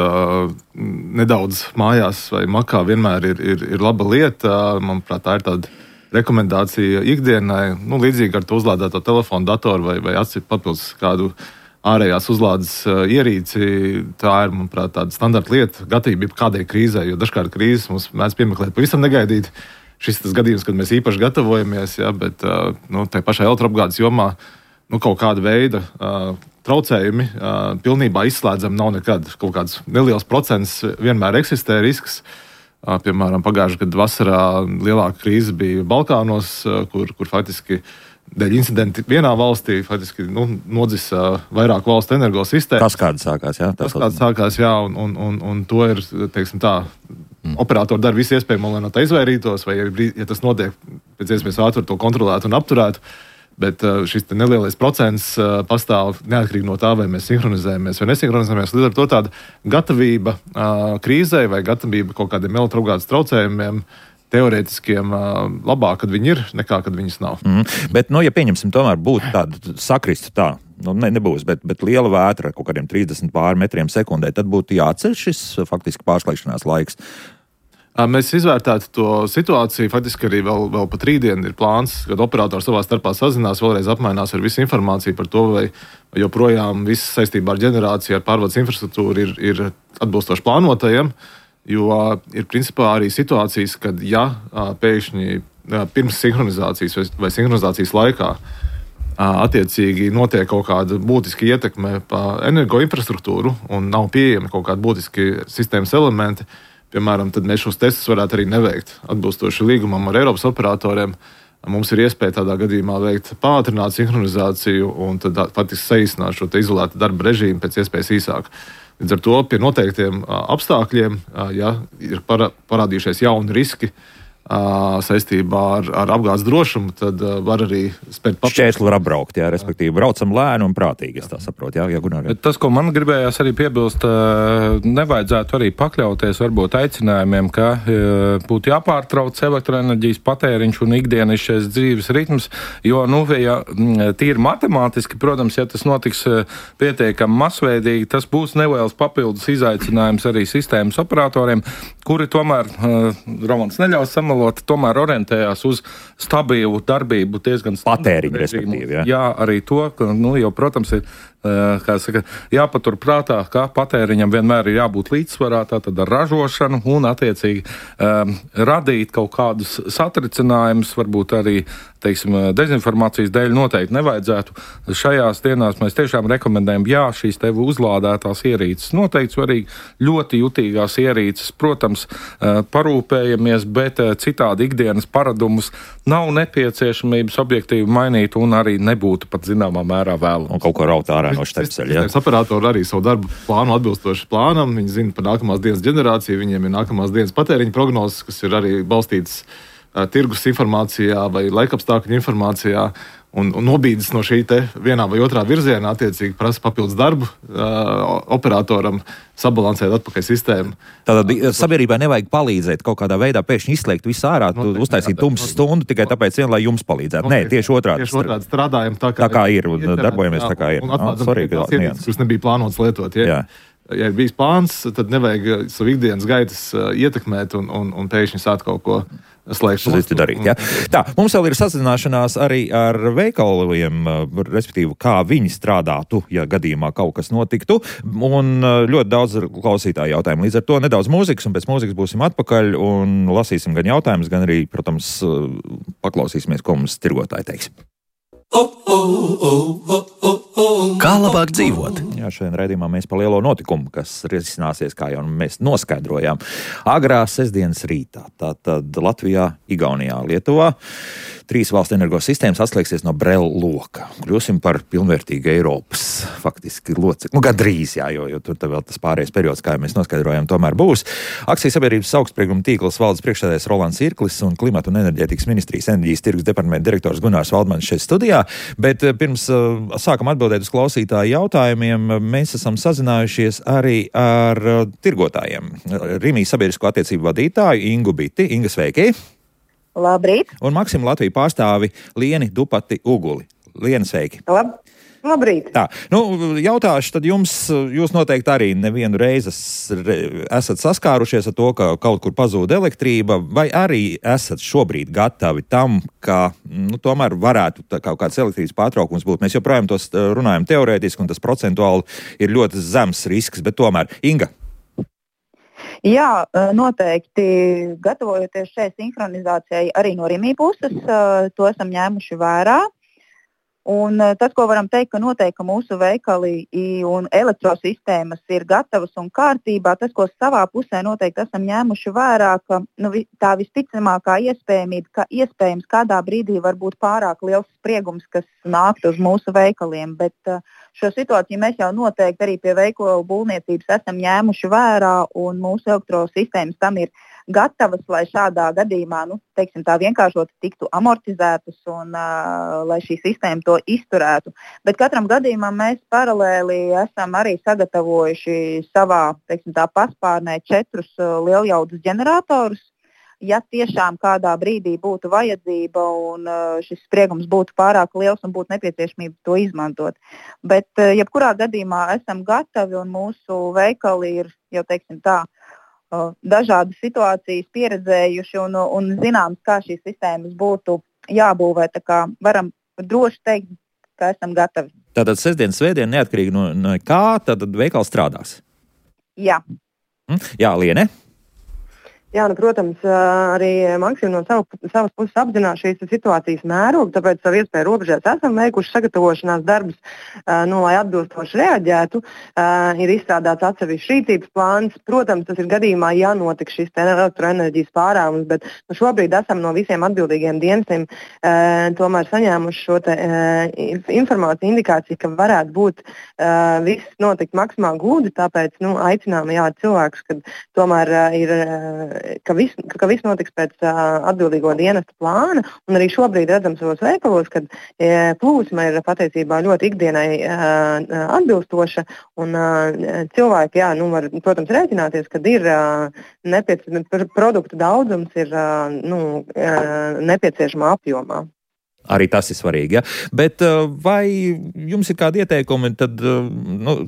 Speaker 2: nedaudz mājās vai makā vienmēr ir laba lieta. Manuprāt, tā ir tāda rekomendācija ikdienai. Līdzīgi ar to uzlādēto telefonu, datoru vai atcīt papildus kādu ārējās uzlādes ierīci. Tā ir, manuprāt, tāda standarta lieta, gatavība kādai krīzē, jo dažkārt krīzes mums mēdz piemeklēt pavisam negaidīt. Šis ir tas gadījums, kad mēs īpaši gatavojamies, bet tai pašai elektroapgādes jomā kaut kāda veida traucējumi pilnībā izslēdzam nav nekad. Kaut kāds neliels procents vienmēr eksistē risks. Piemēram, pagājušajā gadā vasarā lielāka krīze bija Balkānos, kur faktiski dēļ incidenti vienā valstī faktiski nodzisa vairāk valstu energosistēmas.
Speaker 1: Tas kāds sākās,
Speaker 2: jā. Un to ir, teiksim tā, operatori dara visu iespējamo, lai no tā izvairītos, vai ja tas notiek, pēc iespējas ātri to kontrolētu un apturētu. Bet šis nelielais procents pastāv neatkarīgi no tā, vai mēs sinhronizējamies vai nesinhronizējamies. Līdz ar to tāda gatavība krīzē vai gatavība kaut kādiem elektroapgādes traucējumiem teorētiskiem labāk, kad viņi ir, nekā kad viņas nav.
Speaker 1: Bet, ja pieņemsim, tomēr būtu tāda sakristu tā, nebūs, bet liela vētra ar kaut kādiem 30 pār metriem sekundē, tad būtu jāatceļ šis faktiski pārslēgšanās laiks.
Speaker 2: Mēs izvērtētu to situāciju. Faktiski arī vēl pat rītdien ir plāns, kad operatori savā starpā sazinās, vēlreiz apmainās ar visu informāciju par to, vai joprojām viss saistībā ar ģenerāciju, ar pārvades infrastruktūru ir atbilstoši plānotajiem. Jo ir principā arī situācijas, kad pēkšņi pirms sinhronizācijas vai sinhronizācijas laikā attiecīgi notiek kaut kāda būtiska ietekme pa energoinfrastruktūru un nav pieejami kaut kādi būtiski sistēmas elementi, piemēram, tad mēs šos testus varētu arī neveikt. Atbilstoši līgumam ar Eiropas operatoriem, mums ir iespēja tādā gadījumā veikt pātrinātu sinhronizāciju un tad faktiski saīsināt šo izolētu darba režīmu pēc iespējas īsāk. Līdz ar to pie noteiktiem apstākļiem, ja ir parādījušies jauni riski saistībā ar apgādes drošumu, tad var arī spērt papildus.
Speaker 1: Šķērsli var apbraukt, respektīvi braucam lēni un prātīgi, es tā saprotu.
Speaker 3: Tas, ko man gribējās arī piebilst, nevajadzētu arī pakļauties varbūt aicinājumiem, ka būtu jāpārtrauc elektroenerģijas patēriņš un ikdienišķais dzīves ritms, jo, ja tīri matemātiski, protams, ja tas notiks pietiekami masveidīgi, tas būs neliels papildus izaicinājums arī sistēmas operatoriem, kuri tomēr, Romans neļaus samalot, tomēr orientējās uz stabilu darbību diezgan
Speaker 1: patēriņu, respektīvi.
Speaker 3: Jā, arī to, ka, jo, protams, ir jāpatur prātā, ka patēriņam vienmēr ir jābūt līdzsvarā, tātad ar ražošanu un attiecīgi radīt kaut kādus satricinājumus, varbūt arī, dezinformācijas dēļ noteikti nevajadzētu. Šajās dienās mēs tiešām rekomendējam, šīs tev uzlādētās ierīces noteikti svarīgi, ļoti jutīgās ierīces, protams, parūpējamies, bet citādi ikdienas paradumus nav nepieciešamības objektīvi mainīt un arī nebūtu pat zināmā mērā vēlams.
Speaker 1: Un kaut ko raut ārā no štepseļa.
Speaker 2: Operatori arī savu darbu plānu atbilstoši plānam, viņi zina par nākamās dienas ģenerāciju, viņiem ir nākamās dienas patēriņa prognozes, kas ir arī balstītas tirgus informācijā vai laikapstākļu informācijā, un nobīdes no šī te vienā vai otrā virzienā attiecīgi prasa papildus darbu operatoram sabalansēt atpakaļ sistēmu.
Speaker 1: Tātad sabiedrībai nevajag palīdzēt kaut kādā veidā pēkšņi izslēgt visu ārā, uztaisīt tumsu stundu tikai tāpēc lai jums palīdzētu. Nē, tieši otrādi.
Speaker 2: Tieši otrādi strādājam tā
Speaker 1: kā ir un darbojamies tā kā ir.
Speaker 2: Un atklātam, kas nebija plānots lietot.
Speaker 1: Jā.
Speaker 2: Ja ir bijis plāns, tad nevajag savu ikdienas gaitas ietekmēt un pēkšņi sāk kaut ko slēgt.
Speaker 1: Darīt, ja? Tā, mums vēl ir sazināšanās arī ar veikaliem, respektīvi, kā viņi strādātu, ja gadījumā kaut kas notiktu, un ļoti daudz klausītāju jautājumu. Līdz ar to nedaudz mūzikas, un pēc mūzikas būsim atpakaļ un lasīsim gan jautājumus, gan arī, protams, paklausīsimies, ko mums tirgotāji teiks.
Speaker 6: Kā labāk dzīvot?
Speaker 1: Jā, šodien raidījumā mēs par lielo notikumu, kas risināsies, kā jau mēs noskaidrojām, agrā sestdienas rītā. Tātad Latvijā, Igaunijā, Lietuvā 3 valstu energosistēmas atslēgsies no Brela loka. Kļūsim par pilnvērtīgu Eiropas faktiski locekli. Gandrīz, jo tur vēl tas pārējais periods, kā jau mēs noskaidrojām, tomēr būs. Akcijas sabiedrības augstsprieguma tīkls valdes priekšsēdētājs Rolands Irklis un Klimata un enerģētikas ministrijas enerģijas tirgus departamenta direktors Gunārs Valdmanis šeit studijā. Bet pirms sākam atbildēt uz klausītāju jautājumiem, mēs esam sazinājušies arī ar tirgotājiem. Rimijas sabiedrisko attiecību vadītāju Ingu Biti. Inga, sveiki!
Speaker 7: Labrīt!
Speaker 1: Un Maksimu Latviju pārstāvi Lieni Dupati Uguli. Lieni, sveiki!
Speaker 7: Labrīt!
Speaker 1: Tā, jautāšu tad jums, jūs noteikti arī nevienu reizi esat saskārušies ar to, ka kaut kur pazūd elektrība, vai arī esat šobrīd gatavi tam, ka tomēr varētu kaut kāds elektrības pārtraukums būt. Mēs joprojām tos runājam teorētiski, un tas procentuāli ir ļoti zems risks, bet tomēr, Inga.
Speaker 7: Jā, noteikti gatavojoties šai sinhronizācijai arī no Rimī puses, to esam ņēmuši vērā. Un tas, ko varam teikt, ka noteikti mūsu veikali un elektrosistēmas ir gatavas un kārtībā, tas, ko savā pusē noteikti esam ņēmuši vērā, ka tā visticamākā iespējamība, ka iespējams kādā brīdī var būt pārāk liels spriegums, kas nākt uz mūsu veikaliem, bet šo situāciju mēs jau noteikti arī pie veikalu būvniecības esam ņēmuši vērā un mūsu elektrosistēmas tam ir gatavas, lai šādā gadījumā, tā vienkāršot tiktu amortizētas un lai šī sistēma to izturētu. Bet katram gadījumam mēs paralēli esam arī sagatavojuši savā, paspārnē 4 lieljaudas ģeneratorus. Ja tiešām kādā brīdī būtu vajadzība un šis spriegums būtu pārāk liels un būtu nepieciešamība to izmantot. Bet jebkurā gadījumā esam gatavi un mūsu veikali ir, jau dažādas situācijas pieredzējuši un zināms, kā šīs sistēmas būtu jābūvē. Tā kā varam droši teikt, ka esam gatavi.
Speaker 1: Tātad sestdien, svētdien neatkarīgi no kā, tad veikals strādās?
Speaker 7: Jā.
Speaker 1: Jā, Liene?
Speaker 8: Jā, protams, arī Maksim no savas puses apzinās šīs situācijas mērogu, tāpēc savu iespēju robežās esam veikuši sagatavošanās darbus, lai atbilstoši reaģētu. Ir izstrādāts atsevišķs rīcības plāns. Protams, tas ir gadījumā jānotiek šis elektroenerģijas pārāvums, bet šobrīd esam no visiem atbildīgiem dienestiem tomēr saņēmuši šo informāciju, indikāciju, ka varētu būt viss notikt maksimāli gludi, tāpēc aicinām cilvēkus, ka tomēr ir ka viss notiks pēc atbildīgo dienesta plāna, un arī šobrīd redzam savos veikalos, ka plūsma ir patiesībā ļoti ikdienai atbilstoša, un cilvēki, var, protams, rēķināties, kad ir produktu daudzums ir nepieciešamā apjomā.
Speaker 1: Arī tas ir svarīgi. Ja? Bet vai jums ir kādi ieteikumi? Tad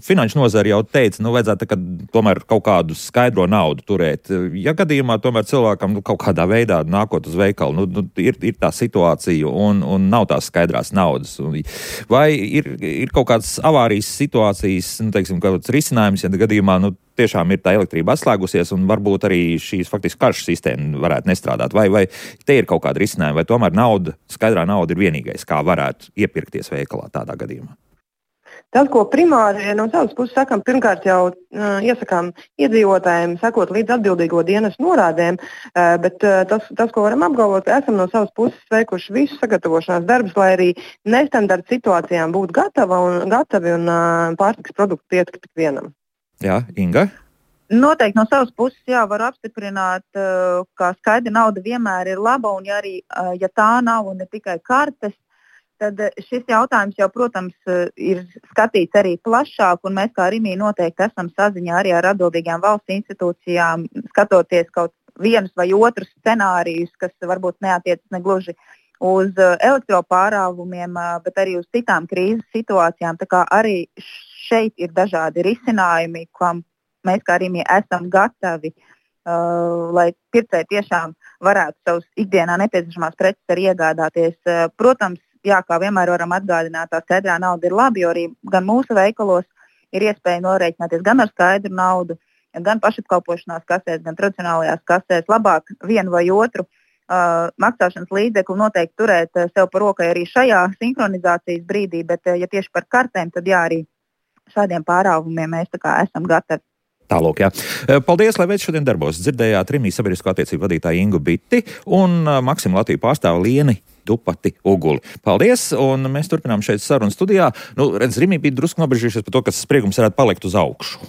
Speaker 1: finanšu nozara jau teica, vajadzētu tomēr kaut kādu skaidro naudu turēt. Ja gadījumā tomēr cilvēkam kaut kādā veidā nākot uz veikalu, ir tā situācija un nav tās skaidrās naudas. Vai ir kaut kādas avārijas situācijas, teiksim, kāds risinājums, ja gadījumā tiešām ir tā elektrība atslēgusies un varbūt arī šīs faktiski karšu sistēma varētu nestrādāt? Vai te ir kaut kāda risinājuma, vai tomēr skaidrā nauda ir vienīgais, kā varētu iepirkties veikalā tādā gadījumā?
Speaker 8: Tas, ko primāri no savas puses sakām, pirmkārt jau iesakām iedzīvotājiem sekot līdz atbildīgo dienestu norādēm, bet tas, ko varam apgalvot, ka esam no savas puses veikuši visu sagatavošanās darbus, lai arī nestandarta situācijām būtu gatavi un pārtikas produktu pietikt tik vienam.
Speaker 1: Jā, Inga?
Speaker 7: Noteikti no savas puses varu apstiprināt, ka skaidra nauda vienmēr ir laba, un ja tā nav un ne tikai kartes, tad šis jautājums jau, protams, ir skatīts arī plašāk, un mēs kā Rimī noteikti esam saziņā arī ar atbildīgām valsts institūcijām, skatoties kaut vienus vai otrus scenārijus, kas varbūt neatiecas negluži uz elektropārāvumiem, bet arī uz citām krīzes situācijām. Tā kā arī šeit ir dažādi risinājumi, kam mēs kā Rimī esam gatavi, lai pircēji tiešām varētu savus ikdienā nepieciešamās preces arī iegādāties. Protams, kā vienmēr varam atgādināt, tā skaidrā nauda ir labi, jo arī gan mūsu veikalos ir iespēja norēķināties gan ar skaidru naudu, gan pašapkalpošanās kasēs, gan tradicionālajās kasēs. Labāk vienu vai otru maksāšanas līdzekli noteikti turēt sev par rokai arī šajā sinhronizācijas brīdī, bet ja tieši par kartēm, tad arī šādiem pārāvumiem mēs esam gatavi.
Speaker 1: Tālūk, jā. Paldies, lai veids šodien darbos. Dzirdējāt Rimī sabiedrisko attiecību vadītāju Ingu Biti un Maksimu Latviju pārstāvu Lieni Dupati Uguli. Paldies, un mēs turpinām šeit sarunu studijā. Rimī bija drusku nobežījušies par to, ka spriegums varētu palikt uz augšu.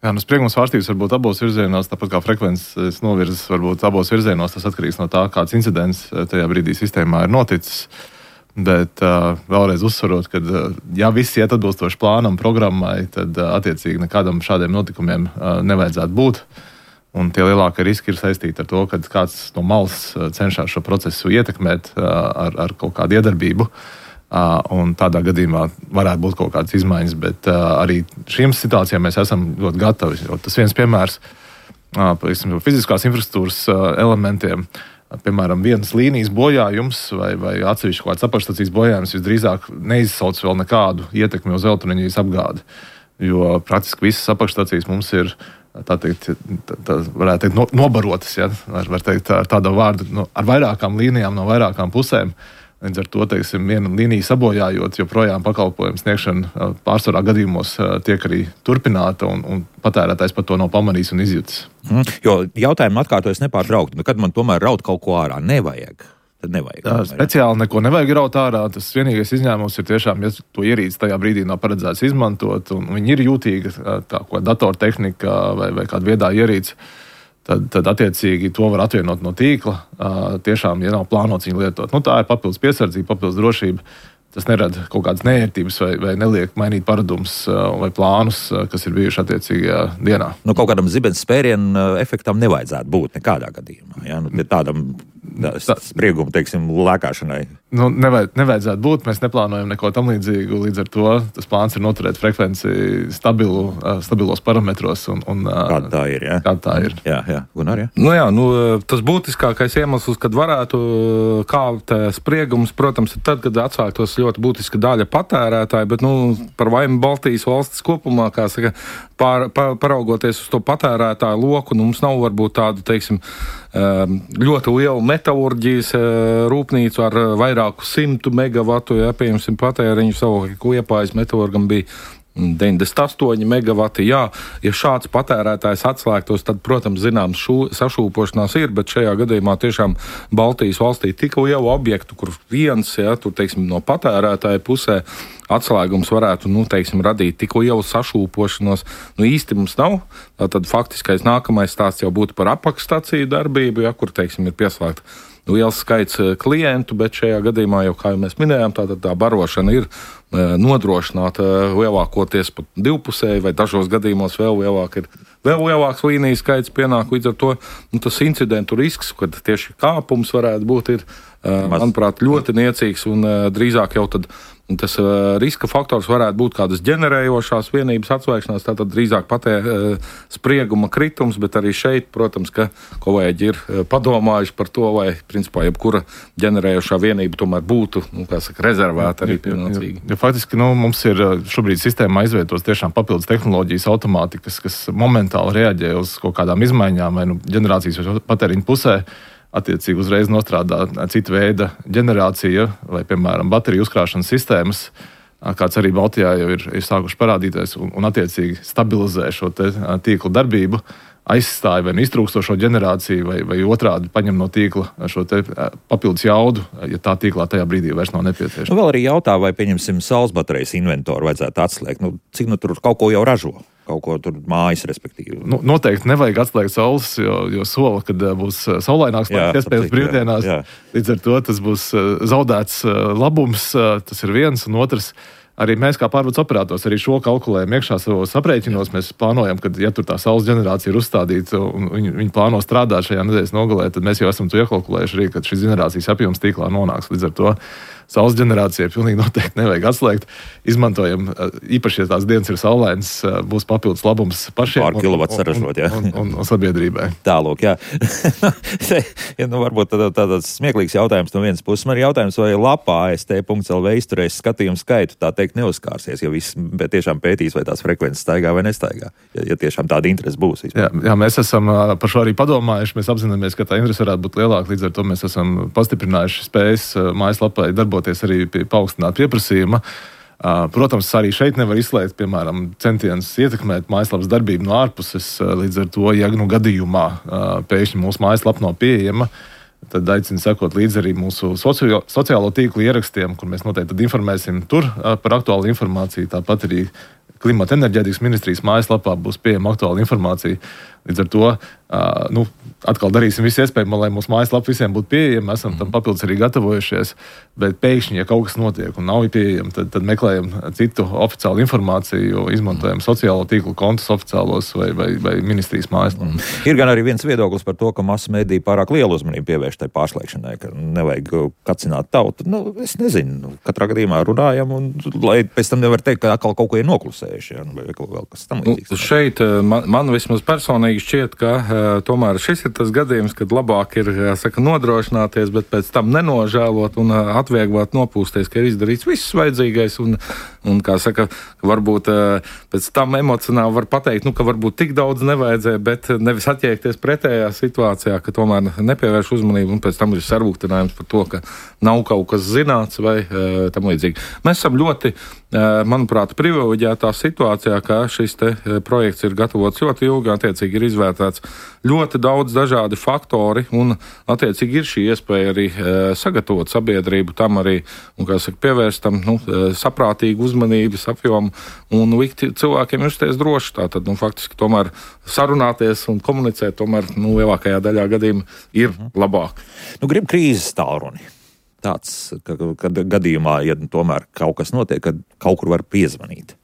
Speaker 2: Jā, spriegums vārstības var būt abos virzienos, tāpat kā frekvences novirzes var būt abos virzienos. Tas atkarīgs no tā, kāds incidents tajā brīdī sistēmā ir noticis. Bet vēlreiz uzsverot, ka ja viss iet atbilstoši plānam, programmai, tad attiecīgi nekādam šādiem notikumiem nevajadzētu būt. Un tie lielākie riski ir saistīti ar to, ka kāds no malas cenšas šo procesu ietekmēt ar kaut kādu iedarbību. Un tādā gadījumā varētu būt kaut kādas izmaiņas, bet arī šīm situācijām mēs esam ļoti gatavi. Tas viens piemērs fiziskās infrastruktūras elementiem. Piemēram, vienas līnijas bojājums vai atsevišķi kaut kāds apakšstacijas bojājums visdrīzāk neizsauc vēl nekādu ietekmi uz elektroenerģijas apgādi, jo praktiski visas apakšstacijas mums ir, varētu teikt, nobarotas, ja, var teikt ar tādu vārdu, ar vairākām līnijām no vairākām pusēm. Līdz ar to, viena līnija sabojājot, joprojām pakalpojumu sniegšana pārsvarā gadījumos tiek arī turpināta, un patērētājs par to nav pamanījis un izjutis.
Speaker 1: Jo jautājumu atkārtojas nepārtraukti, kad man tomēr raut kaut ko ārā nevajag. Tad nevajag.
Speaker 2: Speciāli neko nevajag raut ārā. Tas vienīgais izņēmums ir tiešām, ja to ierīci tajā brīdī nav paredzēts izmantot, un viņi ir jūtīgi, tā kā datortehnika vai kāda viedā ierīce. Tad attiecīgi to var atvienot no tīkla, tiešām, ja nav plānots viņu lietot. Tā ir papildus piesardzība, papildus drošība. Tas nerada kaut kādas neērtības vai neliek mainīt paradumus vai plānus, kas ir bijuši attiecīgajā dienā.
Speaker 1: Kaut kādam zibens spērienu efektam nevajadzētu būt nekādā gadījumā. Ja? Tādam sprieguma, lēkāšanai.
Speaker 2: Nevajadzētu būt. Mēs neplānojam neko tam līdzīgu. Līdz ar to tas plāns ir noturēt frekvenci stabilos parametros.
Speaker 1: Kāda tā ir? Ja?
Speaker 2: Kāda tā ir?
Speaker 1: Jā. Gunār, ja?
Speaker 3: Tas būtiskākais iemesls, kad varētu kāpt spriegums, protams, ir tad, kad atsāktos ļoti būtiska daļa patērētāji, bet par vainu Baltijas valstis kopumā, kā saka, paraugoties uz to patērētāju loku, mums nav varbūt tādu, ļoti lielu metalurģijas rūpnīcu ar vairāku 100 megavatu, piemēram, patēriņu. Savukārt Liepājas metalurgam bija 98 megavati. Jā, ja šāds patērētājs atslēgtos, tad, protams, zināms, sašūpošanās ir, bet šajā gadījumā tiešām Baltijas valstī tik lielu objektu, kur viens, no patērētāja pusē atslēgums varētu, radīt tik lielu sašūpošanos. Īsti mums nav. Tad faktiskais nākamais stāsts jau būtu par apakšstaciju darbību, kur, ir pieslēgta liels skaits klientu, bet šajā gadījumā jau, kā jau mēs minējām, tā barošana ir nodrošināta lielākoties pat divpusēji, vai dažos gadījumos vēl lielāks līnijas skaits pienāk. Līdz ar to tas incidentu risks, kad tieši kāpums varētu būt, ir manuprāt, ļoti niecīgs un drīzāk jau tad tas riska faktors varētu būt kādas ģenerējošās vienības atslēgšanās, tātad drīzāk sprieguma kritums, bet arī šeit, protams, ka kolēģi ir padomājuši par to, vai principā jebkura ģenerējošā vienība tomēr būtu, rezervēta arī pienācīgi.
Speaker 2: Ja faktiski, mums ir šobrīd sistēmā izvietotas tiešām papildus tehnoloģijas automātikas, kas momentāli reaģē uz kaut kādām izmaiņām vai ģenerācijas vai patēriņa pusē. Attiecīgi uzreiz nostrādā cita veida ģenerācija vai, piemēram, bateriju uzkrāšanas sistēmas, kāds arī Baltijā jau ir sākuši parādīties un attiecīgi stabilizē šo tīkla darbību, aizstāja vai iztrūkstošo ģenerāciju vai otrādi paņem no tīkla šo papildus jaudu, ja tā tīklā tajā brīdī vairs nav nepieciešama.
Speaker 1: Vēl arī jautā, vai, pieņemsim, saules baterijas inventoru vajadzētu atslēgt. Cik tur kaut ko jau ražo? Kaut ko tur mājas, respektīvi.
Speaker 2: Noteikti nevajag atslēgt saules, jo sola, kad būs saulaināks iespējas brīvdienās. Jā. Līdz ar to tas būs zaudēts labums, tas ir viens, un otrs. Arī mēs kā pārvades operators arī šo kalkulējam iekšā savos aprēķinos. Mēs plānojam, ka, ja tur tā saules ģenerācija ir uzstādīta un viņi plāno strādāt šajā nedēļas nogalē, tad mēs jau esam to iekalkulējuši arī, kad šis ģenerācijas apjoms tīklā nonāks. Līdz ar to saules ģenerācijai pilnīgi noteikti nevajag atslēgt. Izmantojam, īpaši, ja tās dienas ir saulainas, būs papildus labums pašiem
Speaker 1: pār kilovatu saražot,
Speaker 2: un sabiedrībai.
Speaker 1: Tālūk, jā. Varbūt tāds smieklīgs jautājums no vienas puses. Man ir jautājums, vai lapā AST.lv izturēs skatījumu skaitu, tā teikt, neuzkārsies, jo viss tiešām pētīs, vai tās frekvences staigā vai nestaigā, ja tiešām tāda interese būs.
Speaker 2: Jā, mēs esam par šo arī padomājuši, mēs apzināmies, ka tā interese varētu būt lielāka, līdz ar to mēs esam pastiprinājuši spējas mājaslapai darboties arī pie paaugstināt pieprasījuma. Protams, arī šeit nevar izslēgt, piemēram, centienus ietekmēt mājaslapas darbību no ārpuses, līdz ar to, ja gadījumā pēkšņi mūsu mājaslapa nav pieejama, tad aicinu sekot līdzi arī mūsu sociālo tīklu ierakstiem, kur mēs noteikti tad informēsim tur par aktuālu informāciju, tāpat arī Klimata enerģētikas ministrijas mājaslapā būs pieejama aktuāla informācija. Līdz ar to atkal darīsim visu iespējamo, lai mūsu mājaslapa visiem būtu pieejama. Esam tam papildus arī gatavojušies, bet pēkšņi, ja kaut kas notiek un nav pieejama, tad meklējam citu oficiālu informāciju, izmantojam sociālo tīklu kontus oficiālos vai ministrijas mājaslapu.
Speaker 1: Ir gan arī viens viedoklis par to, ka masu mediji pārāk lielu uzmanību pievērš tai pārslēgšanai, ka nevajag kacināt tautu. Es nezinu, katrā gadījumā runājam, un lai pēc tam nevar teikt, ka atkal kaut ko ir noklusējuši, vai vēl kas tam līdzīgs.
Speaker 3: Šeit man vismaz personīgi šķiet, ka tomēr šis ir tas gadījums, kad labāk ir, nodrošināties, bet pēc tam nenožēlot un atvieglot nopūsties, ka ir izdarīts viss vajadzīgais un varbūt pēc tam emocionāli var pateikt, ka varbūt tik daudz nevajadzēja, bet nevis attiekties pretējā situācijā, ka tomēr nepievērš uzmanību un pēc tam ir sarūktinājums par to, ka nav kaut kas zināts vai tam līdzīgi. Mēs esam ļoti, manuprāt, privileģētā situācijā, ka šis projekts ir gatavots ļoti ilgi, attiecīgi ir izvērtēts ļoti daudz dažādi faktori un attiecīgi ir šī iespēja arī sagatavot sabiedrību tam arī, un, pievērst tam saprātīgu uzmanības apjomu un likt cilvēkiem justies droši. Tātad, faktiski tomēr sarunāties un komunicēt tomēr, lielākajā daļā gadījumā ir labāk.
Speaker 1: Grib krīzes tālruni. Tāds, kad gadījumā, ja tomēr kaut kas notiek, kad kaut kur var piezvanīt.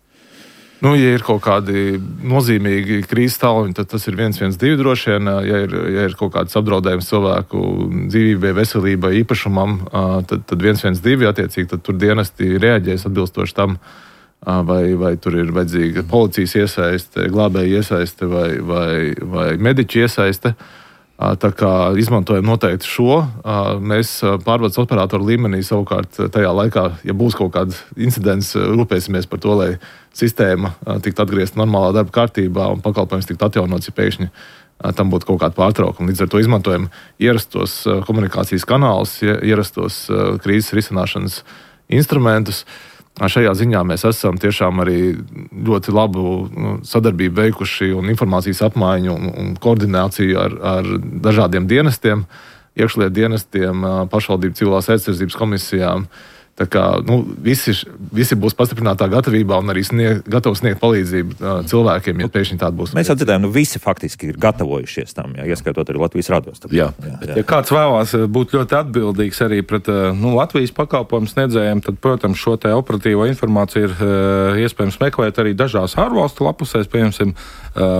Speaker 2: Ja ir kaut kādi nozīmīgi krīzes tālruņi, tad tas ir 112 droši vien. Ja ir kaut kāds apdraudējums cilvēku dzīvībai, veselībai, īpašumam, tad 112, attiecīgi, tad tur dienesti reaģēs atbilstoši tam, vai tur ir vajadzīga policijas iesaiste, glābēja iesaiste vai mediķi iesaiste. Tā kā izmantojam noteikti šo, mēs pārvades operatoru līmenī savukārt tajā laikā, ja būs kaut kāds incidents, rūpēsimies par to, lai sistēma tiktu atgriezta normālā darba kārtībā un pakalpojums tiktu atjaunots, ja pēkšņi tam būtu kaut kāda pārtraukuma. Līdz ar to izmantojam ierastos komunikācijas kanālus, ierastos krīzes risināšanas instrumentus. Šajā ziņā mēs esam tiešām arī ļoti labu sadarbību veikuši un informācijas apmaiņu un koordināciju ar dažādiem dienestiem, iekšlietu dienestiem, pašvaldību civilās aizsardzības komisijām. Tā kā visi būs pastiprinātā gatavībā un arī gatavi sniegt palīdzību cilvēkiem, ja pēkšņi tāda būs.
Speaker 1: Mēs jau dzirdējām, visi faktiski ir gatavojušies tam, ieskaitot arī Latvijas radios.
Speaker 3: Jā. Ja kāds vēlās būt ļoti atbildīgs arī pret Latvijas pakalpojumu sniedzējiem, tad, protams, šo te operatīvo informāciju ir iespējams meklēt arī dažās ārvalstu lapusēs, piemēram,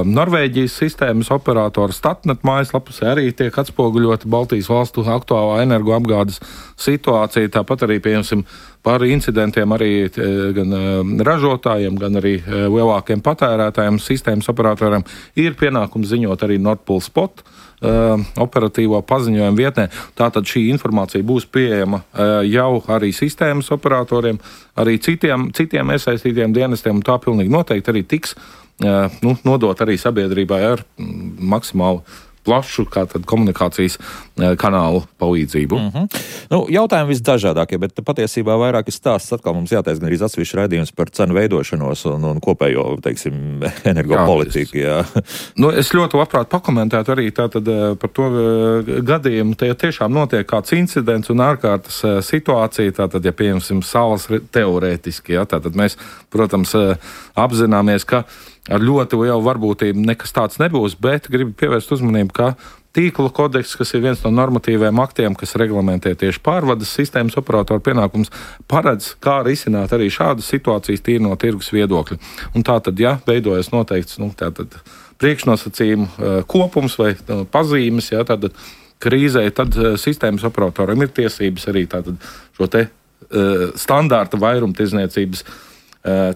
Speaker 3: Norvēģijas sistēmas operatora Statnet mājaslapusē arī tiek atspoguļota Baltijas valstu aktuālā energoapgādes situācija, tāpat arī, piemēram, par incidentiem arī gan ražotājiem, gan arī lielākiem patērētājiem, sistēmas operatoriem ir pienākums ziņot arī Nord Pool Spot operatīvo paziņojumu vietnē. Tātad šī informācija būs pieejama jau arī sistēmas operatoriem, arī citiem iesaistītiem dienestiem, un tā pilnīgi noteikti arī tiks nodot arī sabiedrībai ar maksimālu plašu komunikācijas kanālu palīdzību.
Speaker 1: Jautājumi visdažādākie, bet patiesībā vairāk stāsts atkal mums jātaisa gan arī atsevišķi raidījums par cenu veidošanos un kopējo, teiksim, energopolitiku.
Speaker 3: Es ļoti labprāt pakomentētu arī tātad par to gadījumu. Tie tiešām notiek kāds incidents un ārkārtas situācija, tātad, ja pieņemsim salas teorētiski, tātad mēs, protams, apzināmies, ka ar ļoti lielu varbūtību nekas tāds nebūs, bet gribu pievērst uzmanību, ka tīkla kodeks, kas ir viens no normatīviem aktiem, kas reglamentē tieši pārvades sistēmas operatoru pienākums, paredz, kā risināt arī šādas situācijas tīri no tirgus viedokļa. Un tātad, ja veidojas noteikts priekšnosacījumu kopums vai pazīmes, tad krīzē, tad sistēmas operatoram ir tiesības arī tātad šo te standārta vairumtirdzniecības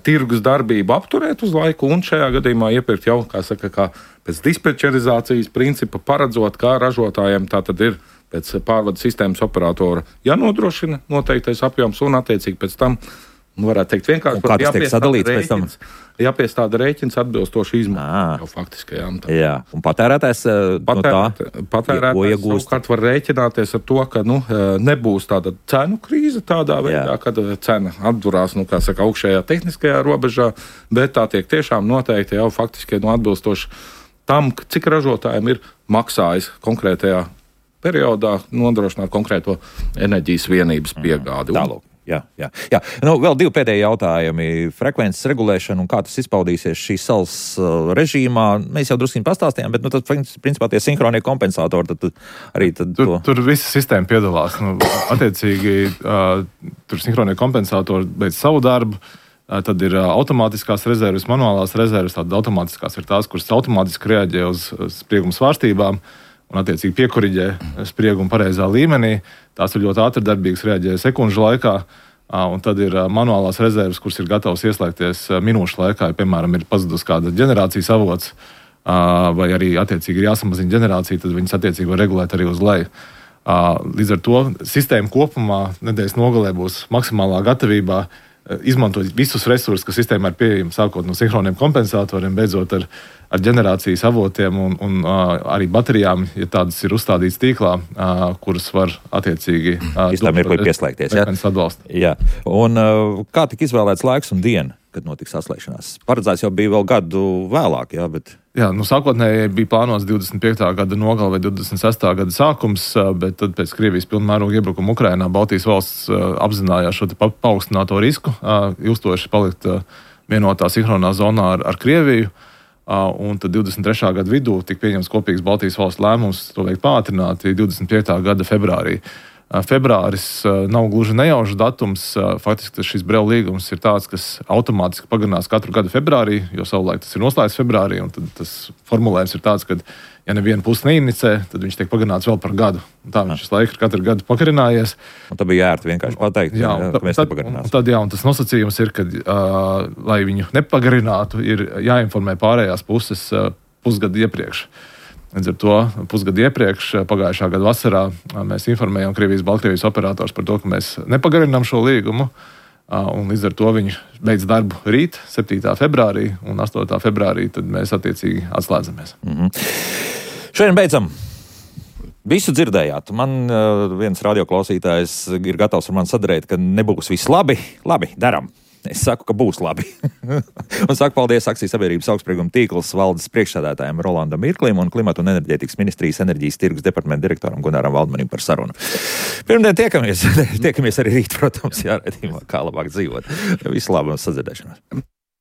Speaker 3: tirgus darbību apturēt uz laiku un šajā gadījumā iepirkt jau, kā pēc dispečerizācijas principa paredzot, kā ražotājiem tā tad ir pēc pārvades sistēmas operatora jānodrošina noteiktais apjoms un attiecīgi pēc tam, varētu teikt vienkārši,
Speaker 1: kā tas tiek sadalīts pēc tam?
Speaker 3: Jāpiestāda rēķins atbilstoši izmaksu jau faktiskajām.
Speaker 1: Jā, un patērētājs
Speaker 3: Patērētājs savukārt var rēķināties ar to, ka nebūs tāda cenu krīze tādā veidā, kad cena atdurās, augšējā tehniskajā robežā, bet tā tiek tiešām noteikti jau faktiski atbilstoši tam, cik ražotājiem ir maksājis konkrētajā periodā nodrošināt konkrēto enerģijas vienības piegādi.
Speaker 1: Tālāk. Jā. Vēl divi pēdējie jautājumi. Frekvences regulēšana un kā tas izpaudīsies šīs salas režīmā. Mēs jau drusku pastāstījām, bet tad, principā, tie sinhronie kompensatori
Speaker 2: Tur visa sistēma piedalās. Attiecīgi, tur sinhronie kompensatori beidz savu darbu. Tad ir automātiskās rezerves, manuālās rezerves. Tātad automātiskās ir tās, kuras automātiski reaģē uz sprieguma svārstībām un attiecīgi piekoriģē spriegumu pareizā līmenī. Tās ir ļoti ātri darbīgas, reaģē sekundžu laikā. Un tad ir manuālās rezerves, kuras ir gatavas ieslēgties minūšu laikā. Ja, piemēram, ir pazudus kāda ģenerācijas avots vai arī attiecīgi ir jāsamazina ģenerācija, tad viņas attiecīgi var regulēt arī uz leju. Līdz ar to sistēma kopumā nedēļas nogalē būs maksimālā gatavībā izmantot visus resursus, kas sistēmā ir pieejami, sākot no sinhroniem kompensatoriem, beidzot ar ģenerācijas avotiem un arī baterijām, ja tādas ir uzstādītas tīklā, kuras var attiecīgi
Speaker 1: pieslēgties. Jā. Un kā tika izvēlēts laiks un diena, kad notiks atslēgšanās? Paredzēts jau bija vēl gadu vēlāk, bet...
Speaker 2: Jā, sākotnēji bija plānots 25. gada nogale vai 26. gada sākums, bet tad pēc Krievijas pilnmēroga iebrukuma Ukrainā Baltijas valsts apzinājās šo paaugstināto risku, ilgstoši palikt vienotā sinhronā zonā ar Krieviju. Un tad 23. gada vidū tika pieņemts kopīgs Baltijas valsts lēmums to veikt pātrināti 25. gada februārī. Februāris nav gluži nejaušs datums. Faktiski šis Brela līgums ir tāds, kas automātiski pagarinās katru gadu februārī, jo savulaik tas ir noslēgts februārī. Un tad tas formulējums ir tāds, ka, ja neviena puse neinicē, tad viņš tiek pagarināts vēl par gadu. Un tā viņš laiku ir katru gadu pagarinājies.
Speaker 1: Un tad bija ērti vienkārši pateikt, ka mēs nepagarinās.
Speaker 2: Un tas nosacījums ir, ka, lai viņu nepagarinātu, ir jāinformē pārējās puses pusgadu iepriekš. Līdz ar to pusgadu iepriekš, pagājušā gada vasarā, mēs informējām Baltkrievijas operators par to, ka mēs nepagarinām šo līgumu. Un līdz ar to viņi beidz darbu rīt, 7. februārī, un 8. februārī tad mēs attiecīgi atslēdzamies.
Speaker 1: Šodien beidzam. Visu dzirdējāt. Man viens radioklausītājs ir gatavs ar mani sadarīt, ka nebūs viss labi. Labi, daram. Es saku, ka būs labi. Un saku paldies akciju sabiedrības augstsprieguma tīkls valdes priekšsēdētājiem Rolandam Mirklim un Klimata un enerģētikas ministrijas enerģijas tirgus departamenta direktoram Gunaram Valdmanim par sarunu. Pirmdien tiekamies arī rīt, protams, jāredzījumā, kā labāk dzīvot. Visu labu un sadzirdēšanos.